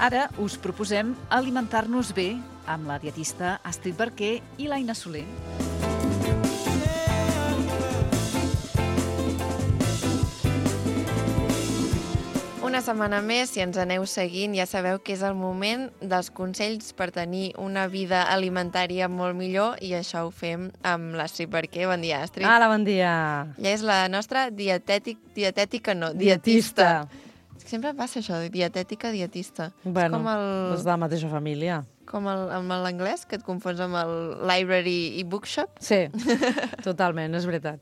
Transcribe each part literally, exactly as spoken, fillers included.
Ara us proposem alimentar-nos bé amb la dietista Astrid Barquer i l'Aina Soler. Una setmana més, si ens aneu seguint, ja sabeu que és el moment dels consells per tenir una vida alimentària molt millor, i això ho fem amb l'Astrid Barquer. Bon dia, Astrid. Hola, bon dia. Ella és la nostra dietètic, dietètica, no, Dietista. dietista. Sempre passa això, dietètica, dietista. Bueno, és com el, és de la mateixa família. com el, amb l'anglès, que et confons amb el library i bookshop. Sí, totalment, és veritat.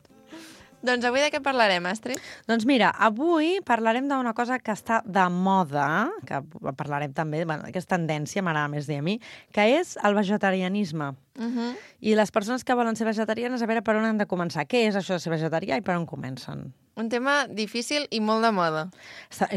Doncs avui de què parlarem, Astrid? Doncs mira, avui parlarem d'una cosa que està de moda, que parlarem també, bueno, que és tendència, m'agrada més dir a mi, que és el vegetarianisme. Uh -huh. I les persones que volen ser vegetarianes, a veure per on han de començar. Què és això de ser vegetarià i per on comencen? Un tema difícil i molt de moda.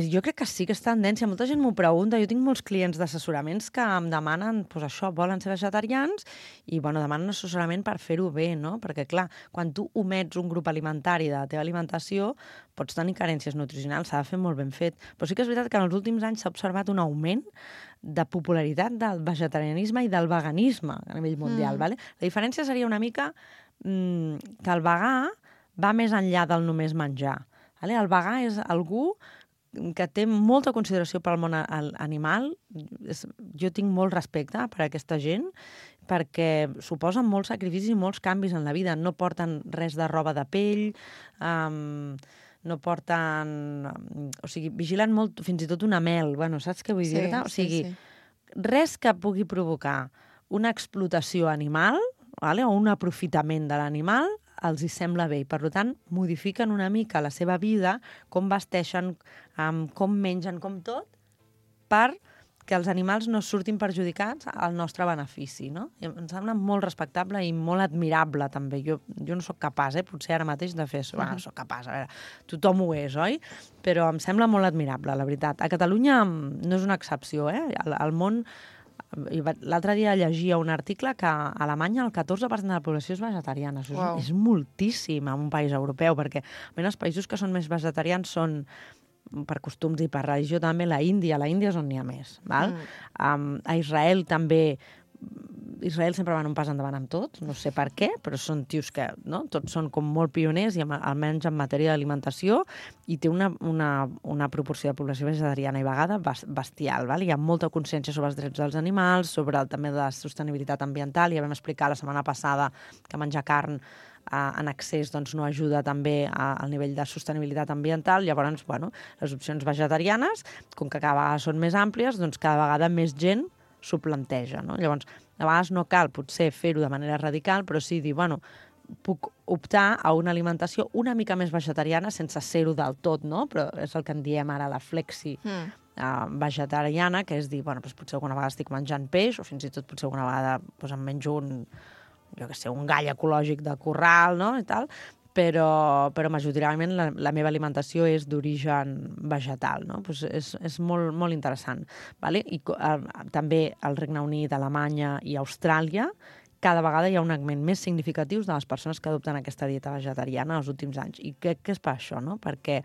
Jo crec que sí que és tendència. Molta gent m'ho pregunta. Jo tinc molts clients d'assessoraments que em demanen, doncs això, volen ser vegetarians i, bueno, demanen assessorament per fer-ho bé, no? Perquè, clar, quan tu omets un grup alimentari de la teva alimentació, pots tenir carències nutricionals, s'ha de fer molt ben fet. Però sí que és veritat que en els últims anys s'ha observat un augment de popularitat del vegetarianisme i del veganisme a nivell mundial. Mm. Vale? La diferència seria una mica mmm, que el vegà va més enllà del només menjar. Vale? El vegà és algú que té molta consideració pel món animal. Jo tinc molt respecte per a aquesta gent, perquè suposen molts sacrificis i molts canvis en la vida. No porten res de roba de pell, um, no porten... O sigui, vigilen molt, fins i tot una mel. Bueno, saps què vull sí, dir-te? O sigui, sí, sí. res que pugui provocar una explotació animal, vale? O un aprofitament de l'animal, els hi sembla bé. I, per tant, modifiquen una mica la seva vida, com vesteixen, um, com mengen, com tot, per que els animals no surtin perjudicats al nostre benefici, no? I em sembla molt respectable i molt admirable, també. Jo, jo no sóc capaç, eh, potser ara mateix, de fer això. Bueno, no sóc capaç, a veure, tothom ho és, oi? Però em sembla molt admirable, la veritat. A Catalunya no és una excepció, eh? Al, al món... L'altre dia llegia un article que a Alemanya el catorze per cent de la població és vegetariana. Això Wow. és, és moltíssim en un país europeu, perquè els països que són més vegetarians són, per costums i per religió, també la Índia. La Índia és on n'hi ha més. Val? Mm. Um, a Israel també... Israel sempre van un pas endavant amb tot, no sé per què, però són tios que, no? Tots són com molt pioners, i almenys en matèria d'alimentació, i té una, una, una proporció de població vegetariana i vegada bestial. Val? Hi ha molta consciència sobre els drets dels animals, sobre el, també de la sostenibilitat ambiental. Ja vam explicar la setmana passada que menjar carn en excés doncs, no ajuda també al nivell de sostenibilitat ambiental. Llavors, bueno, les opcions vegetarianes, com que cada vegada són més àmplies, doncs cada vegada més gent s'ho planteja, no? Llavors, a vegades no cal potser fer-ho de manera radical, però sí dir, bueno, puc optar a una alimentació una mica més vegetariana sense ser-ho del tot, no? Però és el que en diem ara la flexi mm. uh, vegetariana, que és dir, bueno, doncs potser alguna vegada estic menjant peix, o fins i tot potser alguna vegada doncs, em menjo un, jo què sé, un gall ecològic de corral, no?, i tal, però, però majoritàriament la, la meva alimentació és d'origen vegetal, no? Pues és, és molt, molt interessant. Vale? I uh, també al Regne Unit, Alemanya i Austràlia, cada vegada hi ha un augment més significatiu de les persones que adopten aquesta dieta vegetariana els últims anys. I crec que és per això, no? Perquè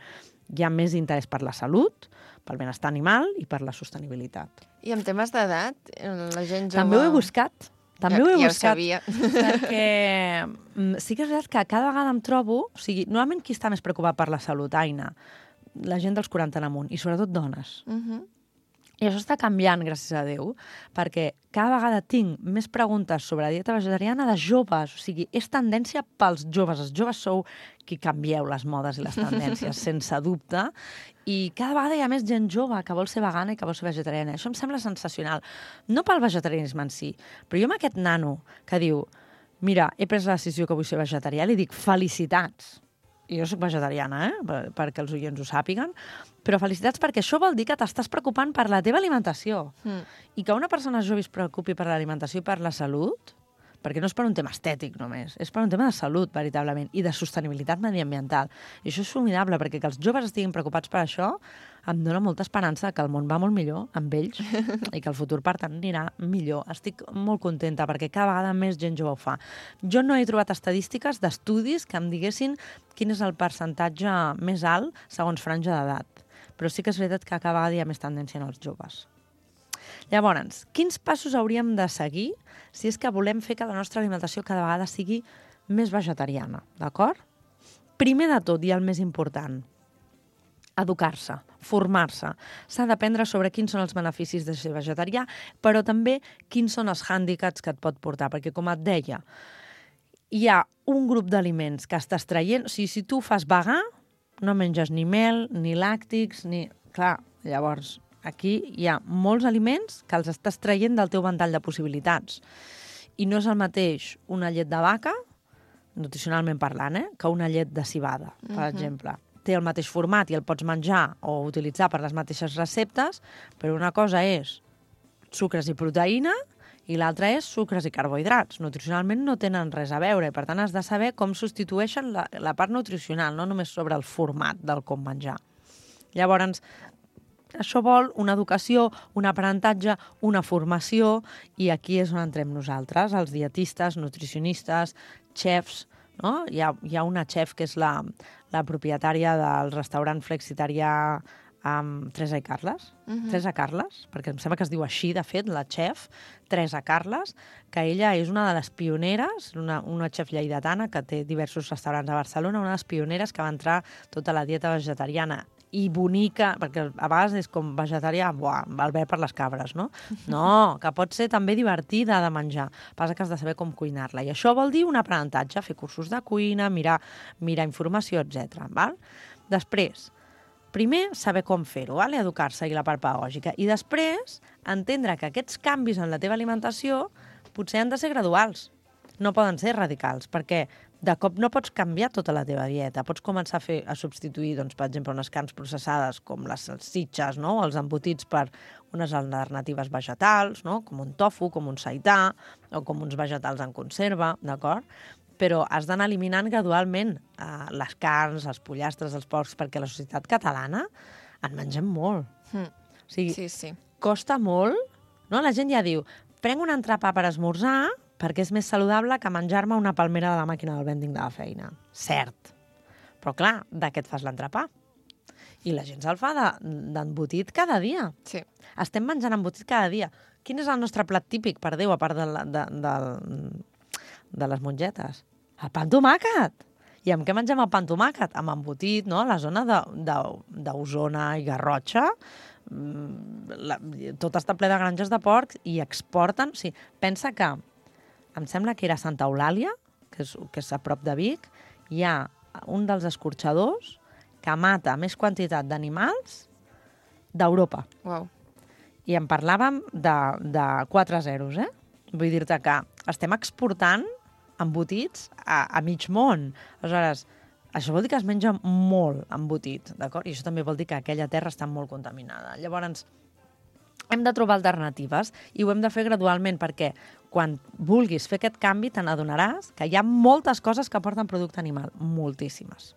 hi ha més interès per la salut, pel benestar animal i per la sostenibilitat. I en temes d'edat, la gent jove... També ho he buscat. També ja, ho he ja buscat, ho sabia. perquè sí que és veritat que cada vegada em trobo... O sigui, normalment qui està més preocupat per la salut, Aina? La gent dels quaranta en amunt, i sobretot dones. Uh -huh. I això està canviant, gràcies a Déu, perquè cada vegada tinc més preguntes sobre la dieta vegetariana de joves. O sigui, és tendència pels joves. Els joves sou qui canvieu les modes i les tendències, sense dubte. I cada vegada hi ha més gent jove que vol ser vegana i que vol ser vegetariana. Això em sembla sensacional. No pel vegetarianisme en si, però jo amb aquest nano que diu, mira, he pres la decisió que vull ser vegetarià, li dic, felicitats. I jo soc vegetariana, eh? Per, perquè els oients ho sàpiguen, però felicitats perquè això vol dir que t'estàs preocupant per la teva alimentació. Mm. I que una persona jove es preocupi per l'alimentació i per la salut, perquè no és per un tema estètic només, és per un tema de salut, veritablement, i de sostenibilitat mediambiental. I això és formidable, perquè que els joves estiguin preocupats per això em dona molta esperança que el món va molt millor amb ells i que el futur, per tant, anirà millor. Estic molt contenta perquè cada vegada més gent jove ho fa. Jo no he trobat estadístiques d'estudis que em diguessin quin és el percentatge més alt segons franja d'edat, però sí que és veritat que cada vegada hi ha més tendència en els joves. Llavors, quins passos hauríem de seguir si és que volem fer que la nostra alimentació cada vegada sigui més vegetariana, d'acord? Primer de tot, i el més important, educar-se, formar-se. S'ha d'aprendre sobre quins són els beneficis de ser vegetarià, però també quins són els hàndicaps que et pot portar, perquè, com et deia, hi ha un grup d'aliments que estàs traient. O sigui, si tu fas vegà, no menges ni mel, ni làctics, ni... Clar, llavors, aquí hi ha molts aliments que els estàs traient del teu ventall de possibilitats. I no és el mateix una llet de vaca, nutricionalment parlant, eh, que una llet de civada, per uh-huh. exemple. Té el mateix format i el pots menjar o utilitzar per les mateixes receptes, però una cosa és sucres i proteïna i l'altra és sucres i carbohidrats. Nutricionalment no tenen res a veure i, per tant, has de saber com substitueixen la, la part nutricional, no només sobre el format del com menjar. Llavors, això vol una educació, un aprenentatge, una formació, i aquí és on entrem nosaltres, els dietistes, nutricionistes, xefs, no? Hi ha, hi ha una xef que és la, la propietària del restaurant flexitarià amb Teresa i Carles, uh-huh. Teresa Carles, perquè em sembla que es diu així, de fet, la xef, Teresa Carles, que ella és una de les pioneres, una, una xef lleidatana que té diversos restaurants a Barcelona, una de les pioneres que va entrar tota la dieta vegetariana i bonica, perquè a vegades és com vegetarià, buah, el ver per les cabres, no? No, que pot ser també divertida de menjar. Passa que has de saber com cuinar-la. I això vol dir un aprenentatge, fer cursos de cuina, mirar, mirar informació, etcètera. Val? Després, primer, saber com fer-ho, val? Educar-se i la part pedagògica. I després, entendre que aquests canvis en la teva alimentació potser han de ser graduals. No poden ser radicals, perquè de cop no pots canviar tota la teva dieta. Pots començar a, fer, a substituir, doncs, per exemple, unes carns processades com les salsitxes, no? O els embotits per unes alternatives vegetals, no? Com un tofu, com un seità, o com uns vegetals en conserva, d'acord? Però has d'anar eliminant gradualment eh, les carns, els pollastres, els porcs, perquè la societat catalana en mengem molt. Mm. O sigui, sí, sí. costa molt, no? La gent ja diu, prenc un entrepà per esmorzar perquè és més saludable que menjar-me una palmera de la màquina del vending de la feina. Cert. Però clar, de què et fas l'entrepà? I la gent se'l fa d'embotit de, cada dia. Sí. Estem menjant embotit cada dia. Quin és el nostre plat típic, per Déu, a part de, la, de, de, de les mongetes? El pa amb tomàquet. I amb què mengem el pa amb tomàquet? Amb embotit, no? La zona d'Osona i Garrotxa, la, tot està ple de granges de porc i exporten... O sigui, pensa que em sembla que era Santa Eulàlia, que és, que és a prop de Vic, hi ha un dels escorxadors que mata més quantitat d'animals d'Europa. Wow. I en parlàvem de, de quatre zeros, eh? Vull dir-te que estem exportant embotits a, a mig món. Aleshores, això vol dir que es menja molt embotit, d'acord? I això també vol dir que aquella terra està molt contaminada. Llavors, hem de trobar alternatives i ho hem de fer gradualment, perquè quan vulguis fer aquest canvi te n'adonaràs que hi ha moltes coses que porten producte animal, moltíssimes.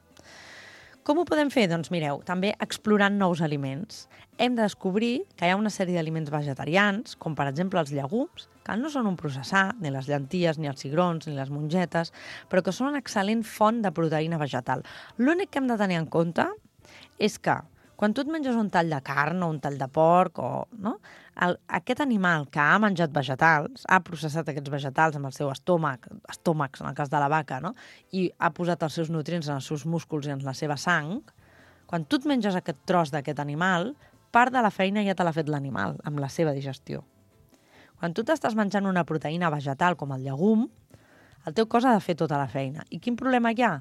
Com ho podem fer? Doncs mireu, també explorant nous aliments. Hem de descobrir que hi ha una sèrie d'aliments vegetarians, com per exemple els llegums, que no són un processat, ni les llenties, ni els cigrons, ni les mongetes, però que són una excel·lent font de proteïna vegetal. L'únic que hem de tenir en compte és que quan tu et menges un tall de carn o un tall de porc, o, no? El, aquest animal que ha menjat vegetals, ha processat aquests vegetals amb el seu estómac, estómacs, en el cas de la vaca, no? I ha posat els seus nutrients en els seus músculs i en la seva sang, quan tu et menges aquest tros d'aquest animal, part de la feina ja te l'ha fet l'animal, amb la seva digestió. Quan tu t'estàs menjant una proteïna vegetal com el llegum, el teu cos ha de fer tota la feina. I quin problema hi ha?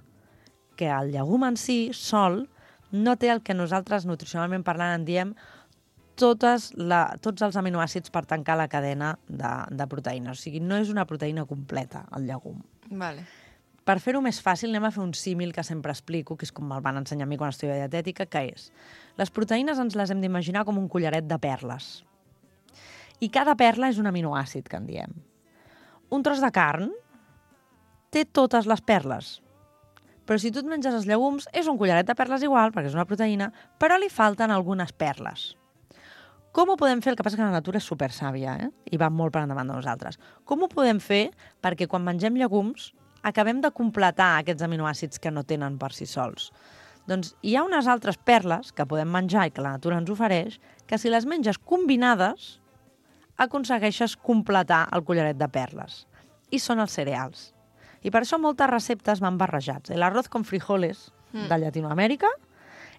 Que el llegum en si, sol, no té el que nosaltres, nutricionalment parlant, en diem totes la, tots els aminoàcids per tancar la cadena de, de proteïnes. O sigui, no és una proteïna completa, el llegum. Vale. Per fer-ho més fàcil, anem a fer un símil que sempre explico, que és com me'l van ensenyar a mi quan estudio dietètica, que és, les proteïnes ens les hem d'imaginar com un collaret de perles. I cada perla és un aminoàcid, que en diem. Un tros de carn té totes les perles. Però si tu et menges els llegums, és un collaret de perles igual, perquè és una proteïna, però li falten algunes perles. Com ho podem fer? El que passa que la natura és supersàvia, eh? I va molt per endavant de nosaltres. Com ho podem fer perquè quan mengem llegums acabem de completar aquests aminoàcids que no tenen per si sols? Doncs hi ha unes altres perles que podem menjar i que la natura ens ofereix, que si les menges combinades, aconsegueixes completar el collaret de perles. I són els cereals. I per això moltes receptes van barrejats. L'arroz con frijoles mm. de Llatinoamèrica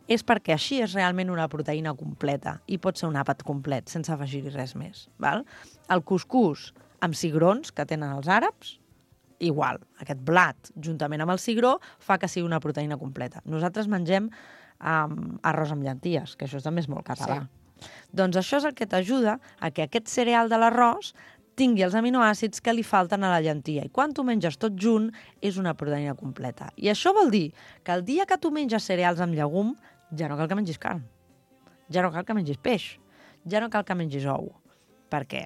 és perquè així és realment una proteïna completa i pot ser un àpat complet, sense afegir-hi res més. Val? El cuscús amb cigrons que tenen els àrabs, igual. Aquest blat, juntament amb el cigró, fa que sigui una proteïna completa. Nosaltres mengem um, arròs amb llenties, que això també és molt català. Sí. Doncs això és el que t'ajuda a que aquest cereal de l'arròs tingui els aminoàcids que li falten a la llentia. I quan tu menges tot junt, és una proteïna completa. I això vol dir que el dia que tu menges cereals amb llegum, ja no cal que mengis carn. Ja no cal que mengis peix. Ja no cal que mengis ou. Perquè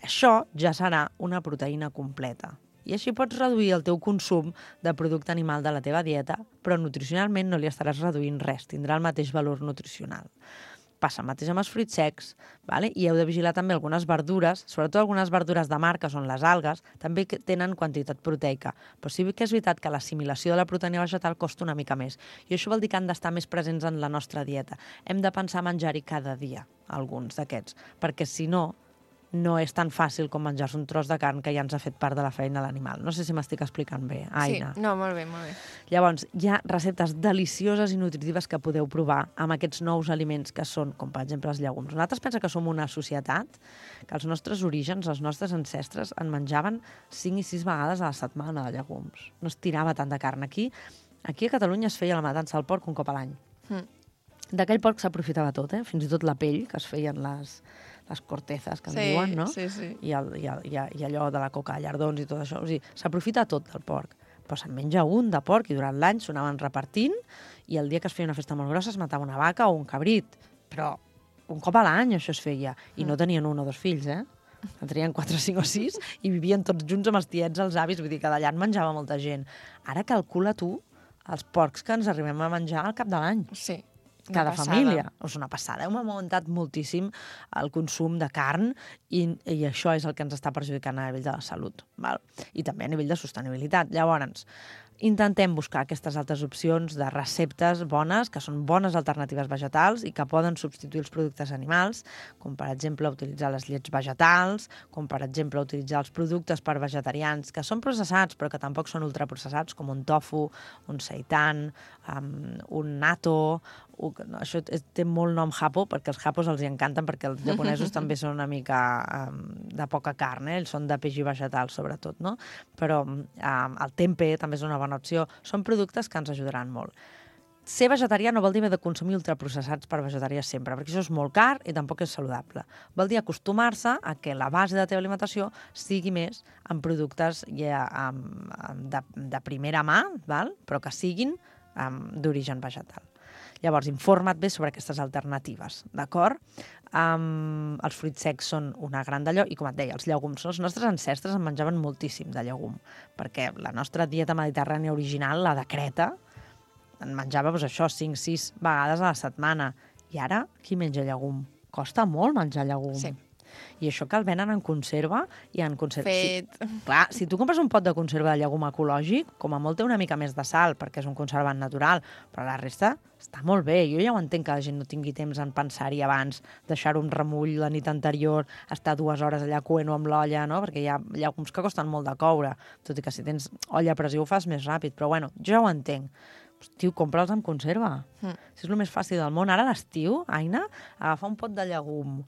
això ja serà una proteïna completa. I així pots reduir el teu consum de producte animal de la teva dieta, però nutricionalment no li estaràs reduint res. Tindrà el mateix valor nutricional. Passa el mateix amb els fruits secs, vale? I heu de vigilar també algunes verdures, sobretot algunes verdures de mar, que són les algues, també tenen quantitat proteica. Però sí que és veritat que l'assimilació de la proteïna vegetal costa una mica més. I això vol dir que han d'estar més presents en la nostra dieta. Hem de pensar a menjar-hi cada dia, alguns d'aquests, perquè si no, no és tan fàcil com menjar-se un tros de carn que ja ens ha fet part de la feina l'animal. No sé si m'estic explicant bé, Aina. Sí, no, molt bé, molt bé. Llavors, hi ha receptes delicioses i nutritives que podeu provar amb aquests nous aliments que són, com per exemple els llegums. Nosaltres pensem que som una societat que els nostres orígens, els nostres ancestres, en menjaven cinc i sis vegades a la setmana de llegums. No es tirava tant de carn. Aquí, aquí a Catalunya es feia la matança del porc un cop a l'any. Mm. D'aquell porc s'aprofitava tot, eh? Fins i tot la pell, que es feien les... les cortezas, que en sí, diuen, no? Sí, sí. I, el, i, el, i, I allò de la coca de llardons i tot això. O sigui, s'aprofita tot del porc. Però se'n menja un de porc i durant l'any s'anaven repartint i el dia que es feia una festa molt grossa es matava una vaca o un cabrit. Però un cop a l'any això es feia. I no tenien un o dos fills, eh? En tenien quatre, cinc o sis i vivien tots junts amb els tiets, els avis. Vull dir que d'allà en menjava molta gent. Ara calcula tu els porcs que ens arribem a menjar al cap de l'any. Sí. Cada família. És una passada. Hem augmentat moltíssim el consum de carn i, i això és el que ens està perjudicant a nivell de la salut. Val? I també a nivell de sostenibilitat. Llavors, intentem buscar aquestes altres opcions de receptes bones, que són bones alternatives vegetals i que poden substituir els productes animals, com per exemple utilitzar les llets vegetals, com per exemple utilitzar els productes per vegetarians que són processats però que tampoc són ultraprocessats, com un tofu, un seitan, um, un natto. No, això té molt nom japo, perquè els japos els encanten, perquè els japonesos també són una mica um, de poca carn, eh? Ells són de peix i vegetal, sobretot, no? Però um, el tempeh també és una bona opció. Són productes que ens ajudaran molt. Ser vegetarià no vol dir haver de consumir ultraprocessats per vegetarià sempre, perquè això és molt car i tampoc és saludable. Vol dir acostumar-se a que la base de la teva alimentació sigui més en productes ja, um, de, de primera mà, val? Però que siguin um, d'origen vegetal. Llavors, informa't bé sobre aquestes alternatives, d'acord? Um, els fruits secs són una gran d'allò, i com et deia, els llegums. Els nostres ancestres en menjaven moltíssim de llegum, perquè la nostra dieta mediterrània original, la de Creta, en menjava doncs, això cinc sis vegades a la setmana. I ara, qui menja llegum? Costa molt menjar llegum. Sí. I això que el venen en conserva i en conserva... Fet. Si, clar, si tu compres un pot de conserva de llegum ecològic, com a molt té una mica més de sal, perquè és un conservant natural, però la resta està molt bé. Jo ja ho entenc que la gent no tingui temps en pensar-hi abans, deixar-ho en remull la nit anterior, estar dues hores allà coent-ho amb l'olla, no? Perquè hi ha llegums que costen molt de coure, tot i que si tens olla a pressió ho fas més ràpid, però bueno, jo ja ho entenc. Tio, compra'ls amb conserva. Mm. Si és el més fàcil del món. Ara a l'estiu, Aina, agafar un pot de llegum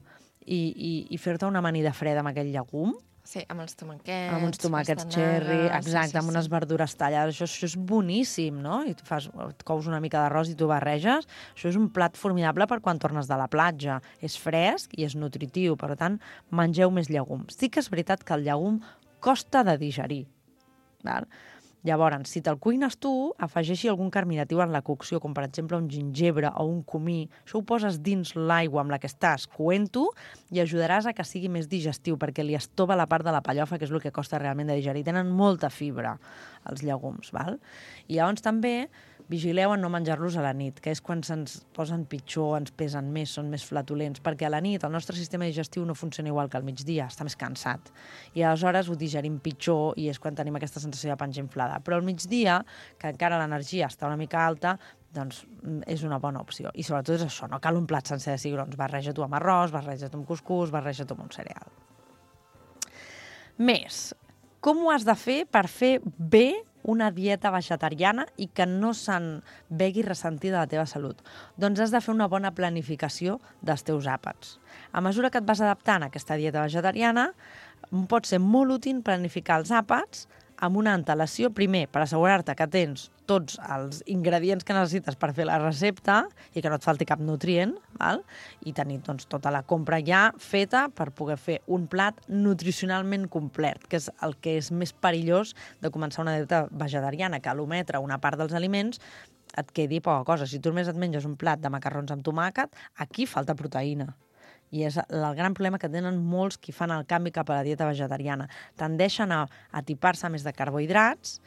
i, i, i fer-te una amanida freda amb aquell llegum. Sí, amb els tomàquets. Amb uns tomàquets cherry, exacte, sí, sí, amb unes verdures tallades. Això, això és boníssim, no? I tu fas, et cous una mica d'arròs i tu barreges. Això és un plat formidable per quan tornes de la platja. És fresc i és nutritiu, per tant, mengeu més llegums. Sí que és veritat que el llegum costa de digerir, val? Llavors, si te'l cuines tu, afegeixi algun carminatiu en la cocció, com per exemple un gingebre o un comí. Això ho poses dins l'aigua amb la que estàs coent-ho i ajudaràs a que sigui més digestiu, perquè li estova la part de la pellofa, que és el que costa realment de digerir. Tenen molta fibra, els llegums, val? I llavors també vigileu en no menjar-los a la nit, que és quan se'ns posen pitjor, ens pesen més, són més flatulents, perquè a la nit el nostre sistema digestiu no funciona igual que al migdia, està més cansat. I aleshores ho digerim pitjor i és quan tenim aquesta sensació de panxa inflada. Però al migdia, que encara l'energia està una mica alta, doncs és una bona opció. I sobretot és això, no cal un plat sencer de cigrons. Barreja-t'ho amb arròs, barreja-t'ho amb cuscús, barreja-t'ho amb un cereal. Més, com ho has de fer per fer bé una dieta vegetariana i que no se'n vegi ressentida de la teva salut? Doncs has de fer una bona planificació dels teus àpats. A mesura que et vas adaptant a aquesta dieta vegetariana, pot ser molt útil planificar els àpats amb una antelació, primer, per assegurar-te que tens tots els ingredients que necessites per fer la recepta i que no et falti cap nutrient, val? I tenir doncs, tota la compra ja feta per poder fer un plat nutricionalment complet, que és el que és més perillós de començar una dieta vegetariana, que a l'ometre una part dels aliments et quedi poca cosa. Si tu només et menges un plat de macarrons amb tomàquet, aquí falta proteïna. I és el gran problema que tenen molts qui fan el canvi cap a la dieta vegetariana. Tendeixen a atipar-se més de carbohidrats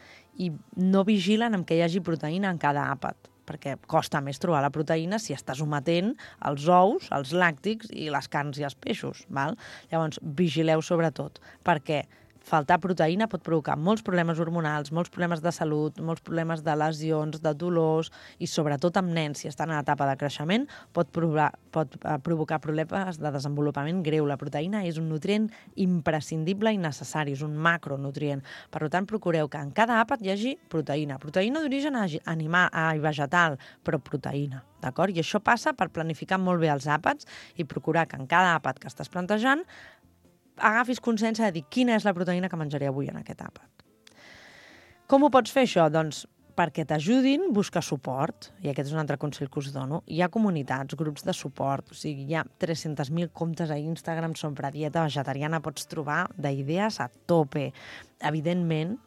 i no vigilen amb que hi hagi proteïna en cada àpat, perquè costa més trobar la proteïna si estàs ometent els ous, els làctics i les carns i els peixos. Val? Llavors, vigileu sobretot, perquè faltar proteïna pot provocar molts problemes hormonals, molts problemes de salut, molts problemes de lesions, de dolors i sobretot amb nens, si estan en etapa de creixement, pot, provar, pot provocar problemes de desenvolupament greu. La proteïna és un nutrient imprescindible i necessari, és un macronutrient. Per tant, procureu que en cada àpat hi hagi proteïna. Proteïna d'origen animal i vegetal, però proteïna. D'acord? I això passa per planificar molt bé els àpats i procurar que en cada àpat que estàs plantejant agafis consciència de dir quina és la proteïna que menjaré avui en aquest àpat. Com ho pots fer, això? Doncs perquè t'ajudin, busca suport. I aquest és un altre consell que us dono. Hi ha comunitats, grups de suport, o sigui, hi ha tres-cents mil comptes a Instagram sobre dieta vegetariana, pots trobar d'idees a tope. Evidentment,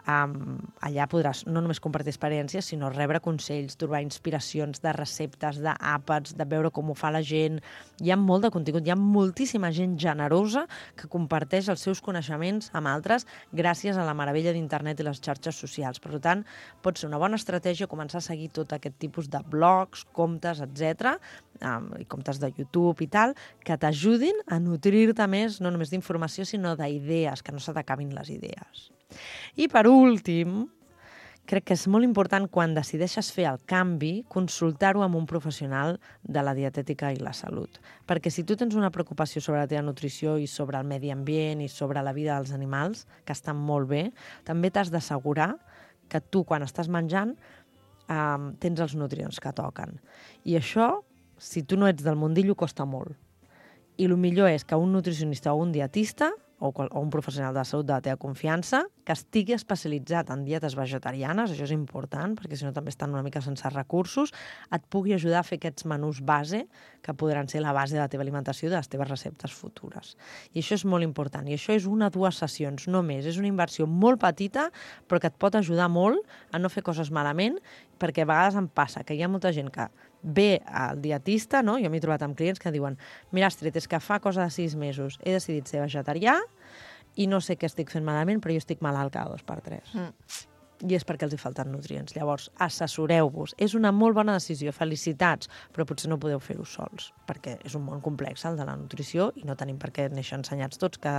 Um, allà podràs no només compartir experiències, sinó rebre consells, trobar inspiracions de receptes, d'àpats, de veure com ho fa la gent. Hi ha molt de contingut, hi ha moltíssima gent generosa que comparteix els seus coneixements amb altres gràcies a la meravella d'internet i les xarxes socials. Per tant, pot ser una bona estratègia començar a seguir tot aquest tipus de blogs, comptes, etcètera, um, i comptes de YouTube i tal, que t'ajudin a nutrir-te més, no només d'informació, sinó d'idees, que no se t'acabin les idees. I per últim, crec que és molt important quan decideixes fer el canvi, consultar-ho amb un professional de la dietètica i la salut. Perquè si tu tens una preocupació sobre la teva nutrició i sobre el medi ambient i sobre la vida dels animals, que estan molt bé, també t'has d'assegurar que tu, quan estàs menjant, eh, tens els nutrients que toquen. I això, si tu no ets del mundillo, costa molt. I el millor és que un nutricionista o un dietista o un professional de la salut de la teva confiança que estigui especialitzat en dietes vegetarianes, això és important, perquè si no també estan una mica sense recursos, et pugui ajudar a fer aquests menús base que podran ser la base de la teva alimentació i de les teves receptes futures. I això és molt important. I això és una o dues sessions, no més. És una inversió molt petita, però que et pot ajudar molt a no fer coses malament, perquè a vegades em passa que hi ha molta gent que ve al dietista, no? Jo m'he trobat amb clients que diuen: mira, Astrid, és que fa cosa de sis mesos he decidit ser vegetarià i no sé què estic fent malament, però jo estic malalt cada dos per tres. Mm. I és perquè els hi falten nutrients. Llavors, assessoreu-vos. És una molt bona decisió. Felicitats, però potser no podeu fer-ho sols, perquè és un món complex, el de la nutrició, i no tenim per què néixer ensenyats tots que,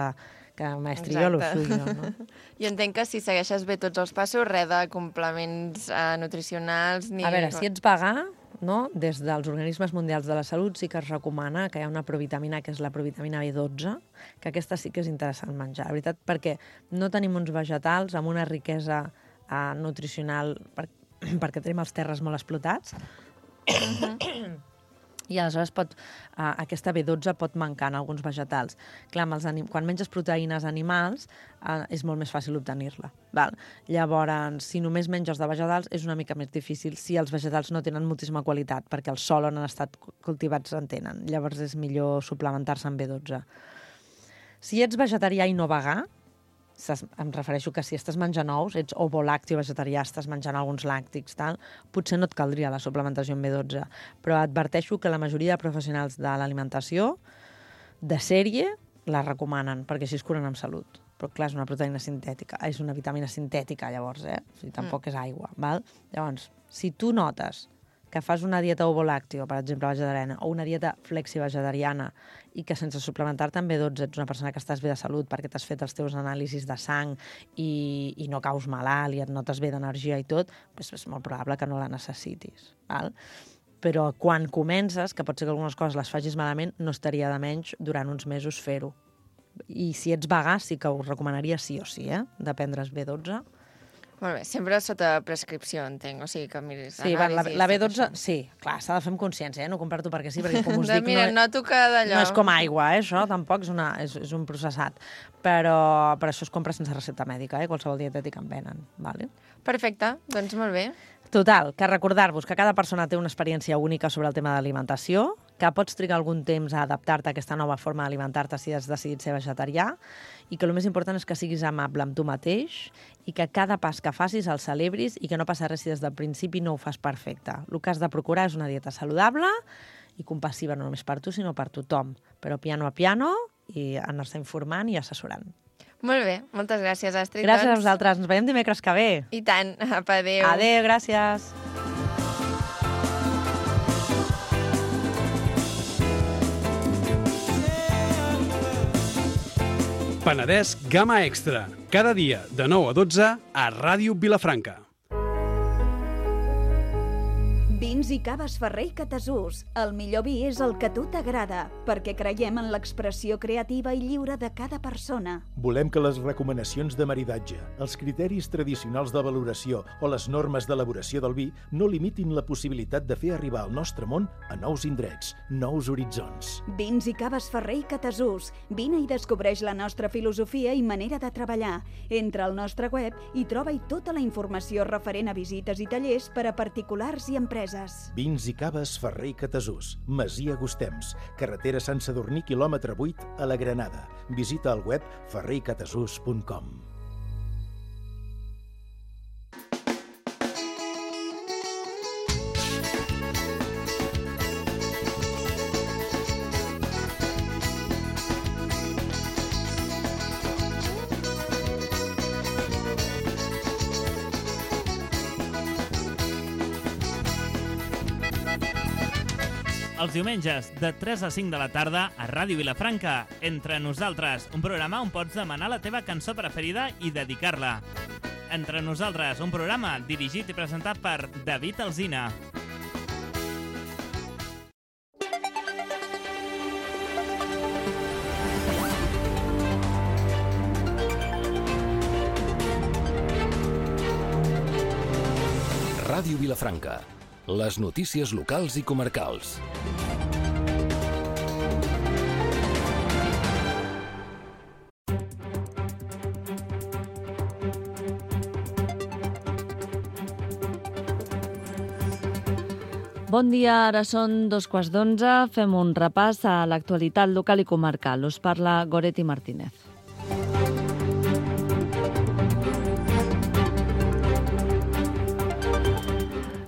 que maestri jo lo suyo, no? Jo entenc que si segueixes bé tots els passos, res de complements eh, nutricionals ni... A veure, si ets vegà, no? Des dels organismes mundials de la salut sí que es recomana que hi ha una provitamina, que és la provitamina B dotze, que aquesta sí que és interessant menjar, la veritat, perquè no tenim uns vegetals amb una riquesa uh, nutricional, per, perquè tenim els terres molt explotats, uh-huh. I aleshores pot, uh, aquesta B dotze pot mancar en alguns vegetals. Clar, amb els anim... quan menges proteïnes animals uh, és molt més fàcil obtenir-la. Val? Llavors, si només menges de vegetals és una mica més difícil si els vegetals no tenen moltíssima qualitat, perquè el sòl on han estat cultivats en tenen. Llavors és millor suplementar-se amb B dotze. Si ets vegetarià i no vegà, em refereixo que si estàs menjant ous, ets ovolàcteo vegetarià, estàs menjant alguns làctics, tal, potser no et caldria la suplementació amb B dotze, però adverteixo que la majoria de professionals de l'alimentació de sèrie la recomanen, perquè així es curen amb salut. Però clar, és una proteïna sintètica, és una vitamina sintètica, llavors, eh? O sigui, tampoc mm. és aigua, val? Llavors, si tu notes que fas una dieta ovolàcteo, per exemple, vegetariana, o una dieta flexi-vegetariana, i que sense suplementar-te amb B dotze ets una persona que estàs bé de salut perquè t'has fet els teus anàlisis de sang i, i no caus malalt i et notes bé d'energia i tot, doncs és molt probable que no la necessitis. Val? Però quan comences, que pot ser que algunes coses les facis malament, no estaria de menys durant uns mesos fer-ho. I si ets vegà, sí que us recomanaria sí o sí, eh, de prendre's B dotze. Molt bé, sempre sota prescripció, entenc, o sigui que miris sí, va, la, la B dotze, això. sí, clar, s'ha de fer amb consciència, eh? No comprar-t'ho perquè sí, perquè com us de, dic... mira, no, noto que d'allò... no és com aigua, eh? Això tampoc és, una, és, és un processat. Però per això es compra sense recepta mèdica, eh? Qualsevol dietètic en venen, vale? Perfecte, doncs molt bé. Total, que recordar-vos que cada persona té una experiència única sobre el tema d'alimentació, que pots trigar algun temps a adaptar-te a aquesta nova forma d'alimentar-te si has decidit ser vegetarià, i que el més important és que siguis amable amb tu mateix i que cada pas que facis el celebris i que no passa res si des del principi no ho fas perfecte. El que has de procurar és una dieta saludable i compassiva no només per tu, sinó per tothom, però piano a piano i anar-se informant i assessorant. Molt bé, moltes gràcies, Astrid. Gràcies doncs. a vosaltres. Ens veiem dimecres que ve. I tant. Apa, adéu. Adéu, gràcies. Penedès Gamma Extra. Cada dia de nou a dotze a Ràdio Vilafranca. Vins i caves Ferrer i Catasús. El millor vi és el que a tu t'agrada, perquè creiem en l'expressió creativa i lliure de cada persona. Volem que les recomanacions de maridatge, els criteris tradicionals de valoració o les normes d'elaboració del vi no limitin la possibilitat de fer arribar el nostre món a nous indrets, nous horitzons. Vins i caves Ferrer i Catasús. Vine i descobreix la nostra filosofia i manera de treballar. Entra al nostre web i troba-hi tota la informació referent a visites i tallers per a particulars i empreses. Vins i caves Ferrer i Catasús, Masia Gustems, carretera Sant Sadurní, quilòmetre vuit, a la Granada. Visita el web ferrer i catasús punt com. Els diumenges, de tres a cinc de la tarda, a Ràdio Vilafranca, Entre Nosaltres, un programa on pots demanar la teva cançó preferida i dedicar-la. Entre Nosaltres, un programa dirigit i presentat per David Alsina. Ràdio Vilafranca. Les notícies locals i comarcals. Bon dia, ara són dos quarts d'onze. Fem un repàs a l'actualitat local i comarcal. Us parla Goretti Martínez.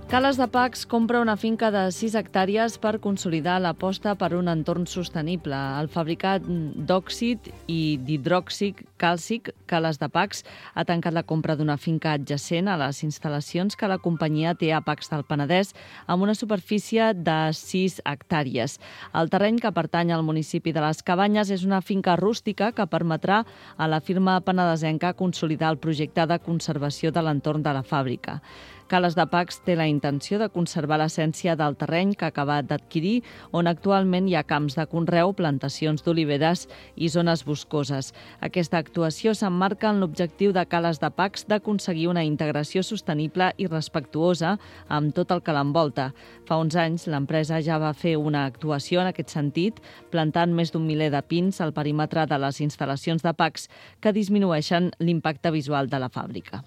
Cales de Pacs compra una finca de sis hectàrees per consolidar l'aposta per un entorn sostenible. El fabricat d'òxid i d'hidròxid càlcic Cales de Pacs ha tancat la compra d'una finca adjacent a les instal·lacions que la companyia té a Pacs del Penedès amb una superfície de sis hectàrees. El terreny, que pertany al municipi de les Cabanyes, és una finca rústica que permetrà a la firma penedesenca consolidar el projecte de conservació de l'entorn de la fàbrica. Cales de Pacs té la intenció de conservar l'essència del terreny que ha acabat d'adquirir, on actualment hi ha camps de conreu, plantacions d'oliveres i zones boscoses. Aquesta actuació s'emmarca en l'objectiu de Cales de Pacs d'aconseguir una integració sostenible i respectuosa amb tot el que l'envolta. Fa uns anys, l'empresa ja va fer una actuació en aquest sentit, plantant més d'un miler de pins al perímetre de les instal·lacions de Pacs que disminueixen l'impacte visual de la fàbrica.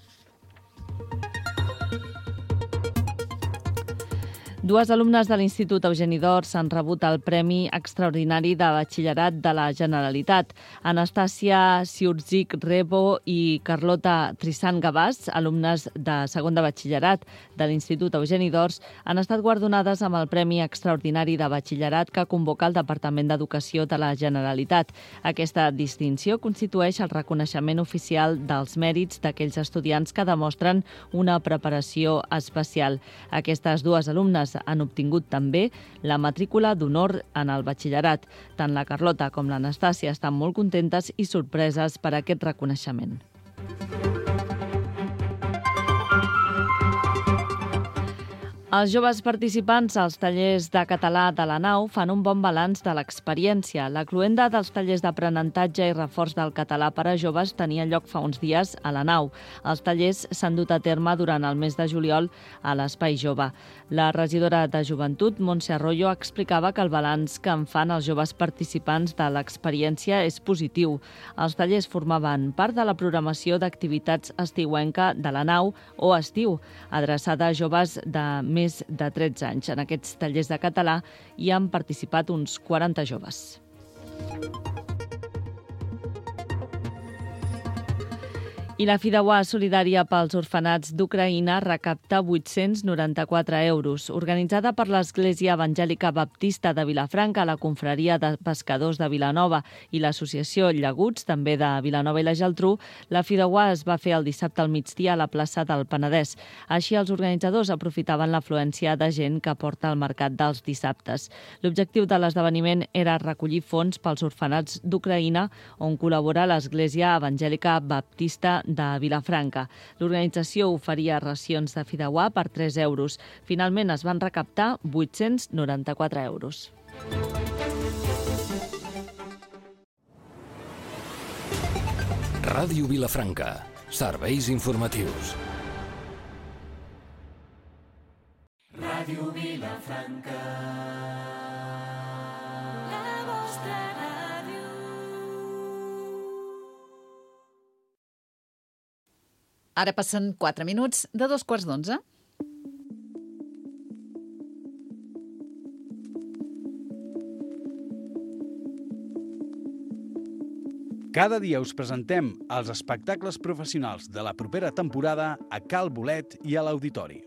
Dues alumnes de l'Institut Eugeni d'Ors han rebut el Premi Extraordinari de Batxillerat de la Generalitat. Anastàcia Siurzic Rebo i Carlota Trissan Gavàs, alumnes de segon de batxillerat de l'Institut Eugeni d'Ors, han estat guardonades amb el Premi Extraordinari de Batxillerat que convoca el Departament d'Educació de la Generalitat. Aquesta distinció constitueix el reconeixement oficial dels mèrits d'aquells estudiants que demostren una preparació especial. Aquestes dues alumnes han obtingut també la matrícula d'honor en el batxillerat. Tant la Carlota com l'Anastàcia estan molt contentes i sorpreses per aquest reconeixement. Els joves participants als tallers de català de la nau fan un bon balanç de l'experiència. La cloenda dels tallers d'aprenentatge i reforç del català per a joves tenia lloc fa uns dies a la nau. Els tallers s'han dut a terme durant el mes de juliol a l'Espai Jove. La regidora de Joventut, Montse Arroyo, explicava que el balanç que en fan els joves participants de l'experiència és positiu. Els tallers formaven part de la programació d'activitats estiuenca de la nau o estiu, adreçada a joves de més de tretze anys. En aquests tallers de català hi han participat uns quaranta joves. I la Fideuà Solidària pels Orfenats d'Ucraïna recapta vuit-cents noranta-quatre euros. Organitzada per l'Església Evangèlica Baptista de Vilafranca, la Confraria de Pescadors de Vilanova i l'Associació Llaguts, també de Vilanova i la Geltrú, la Fideuà es va fer el dissabte al migdia a la plaça del Penedès. Així, els organitzadors aprofitaven l'afluència de gent que porta al mercat dels dissabtes. L'objectiu de l'esdeveniment era recollir fons pels orfenats d'Ucraïna, on col·labora l'Església Evangèlica Baptista de Vilafranca. L'organització oferia racions de fideuà per tres euros. Finalment es van recaptar vuit-cents noranta-quatre euros. Ràdio Vilafranca. Serveis informatius. Ràdio Vilafranca. La vostra ràdio. Ara passen quatre minuts de dos quarts d'onze. Cada dia us presentem els espectacles professionals de la propera temporada a Cal Bolet i a l'Auditori.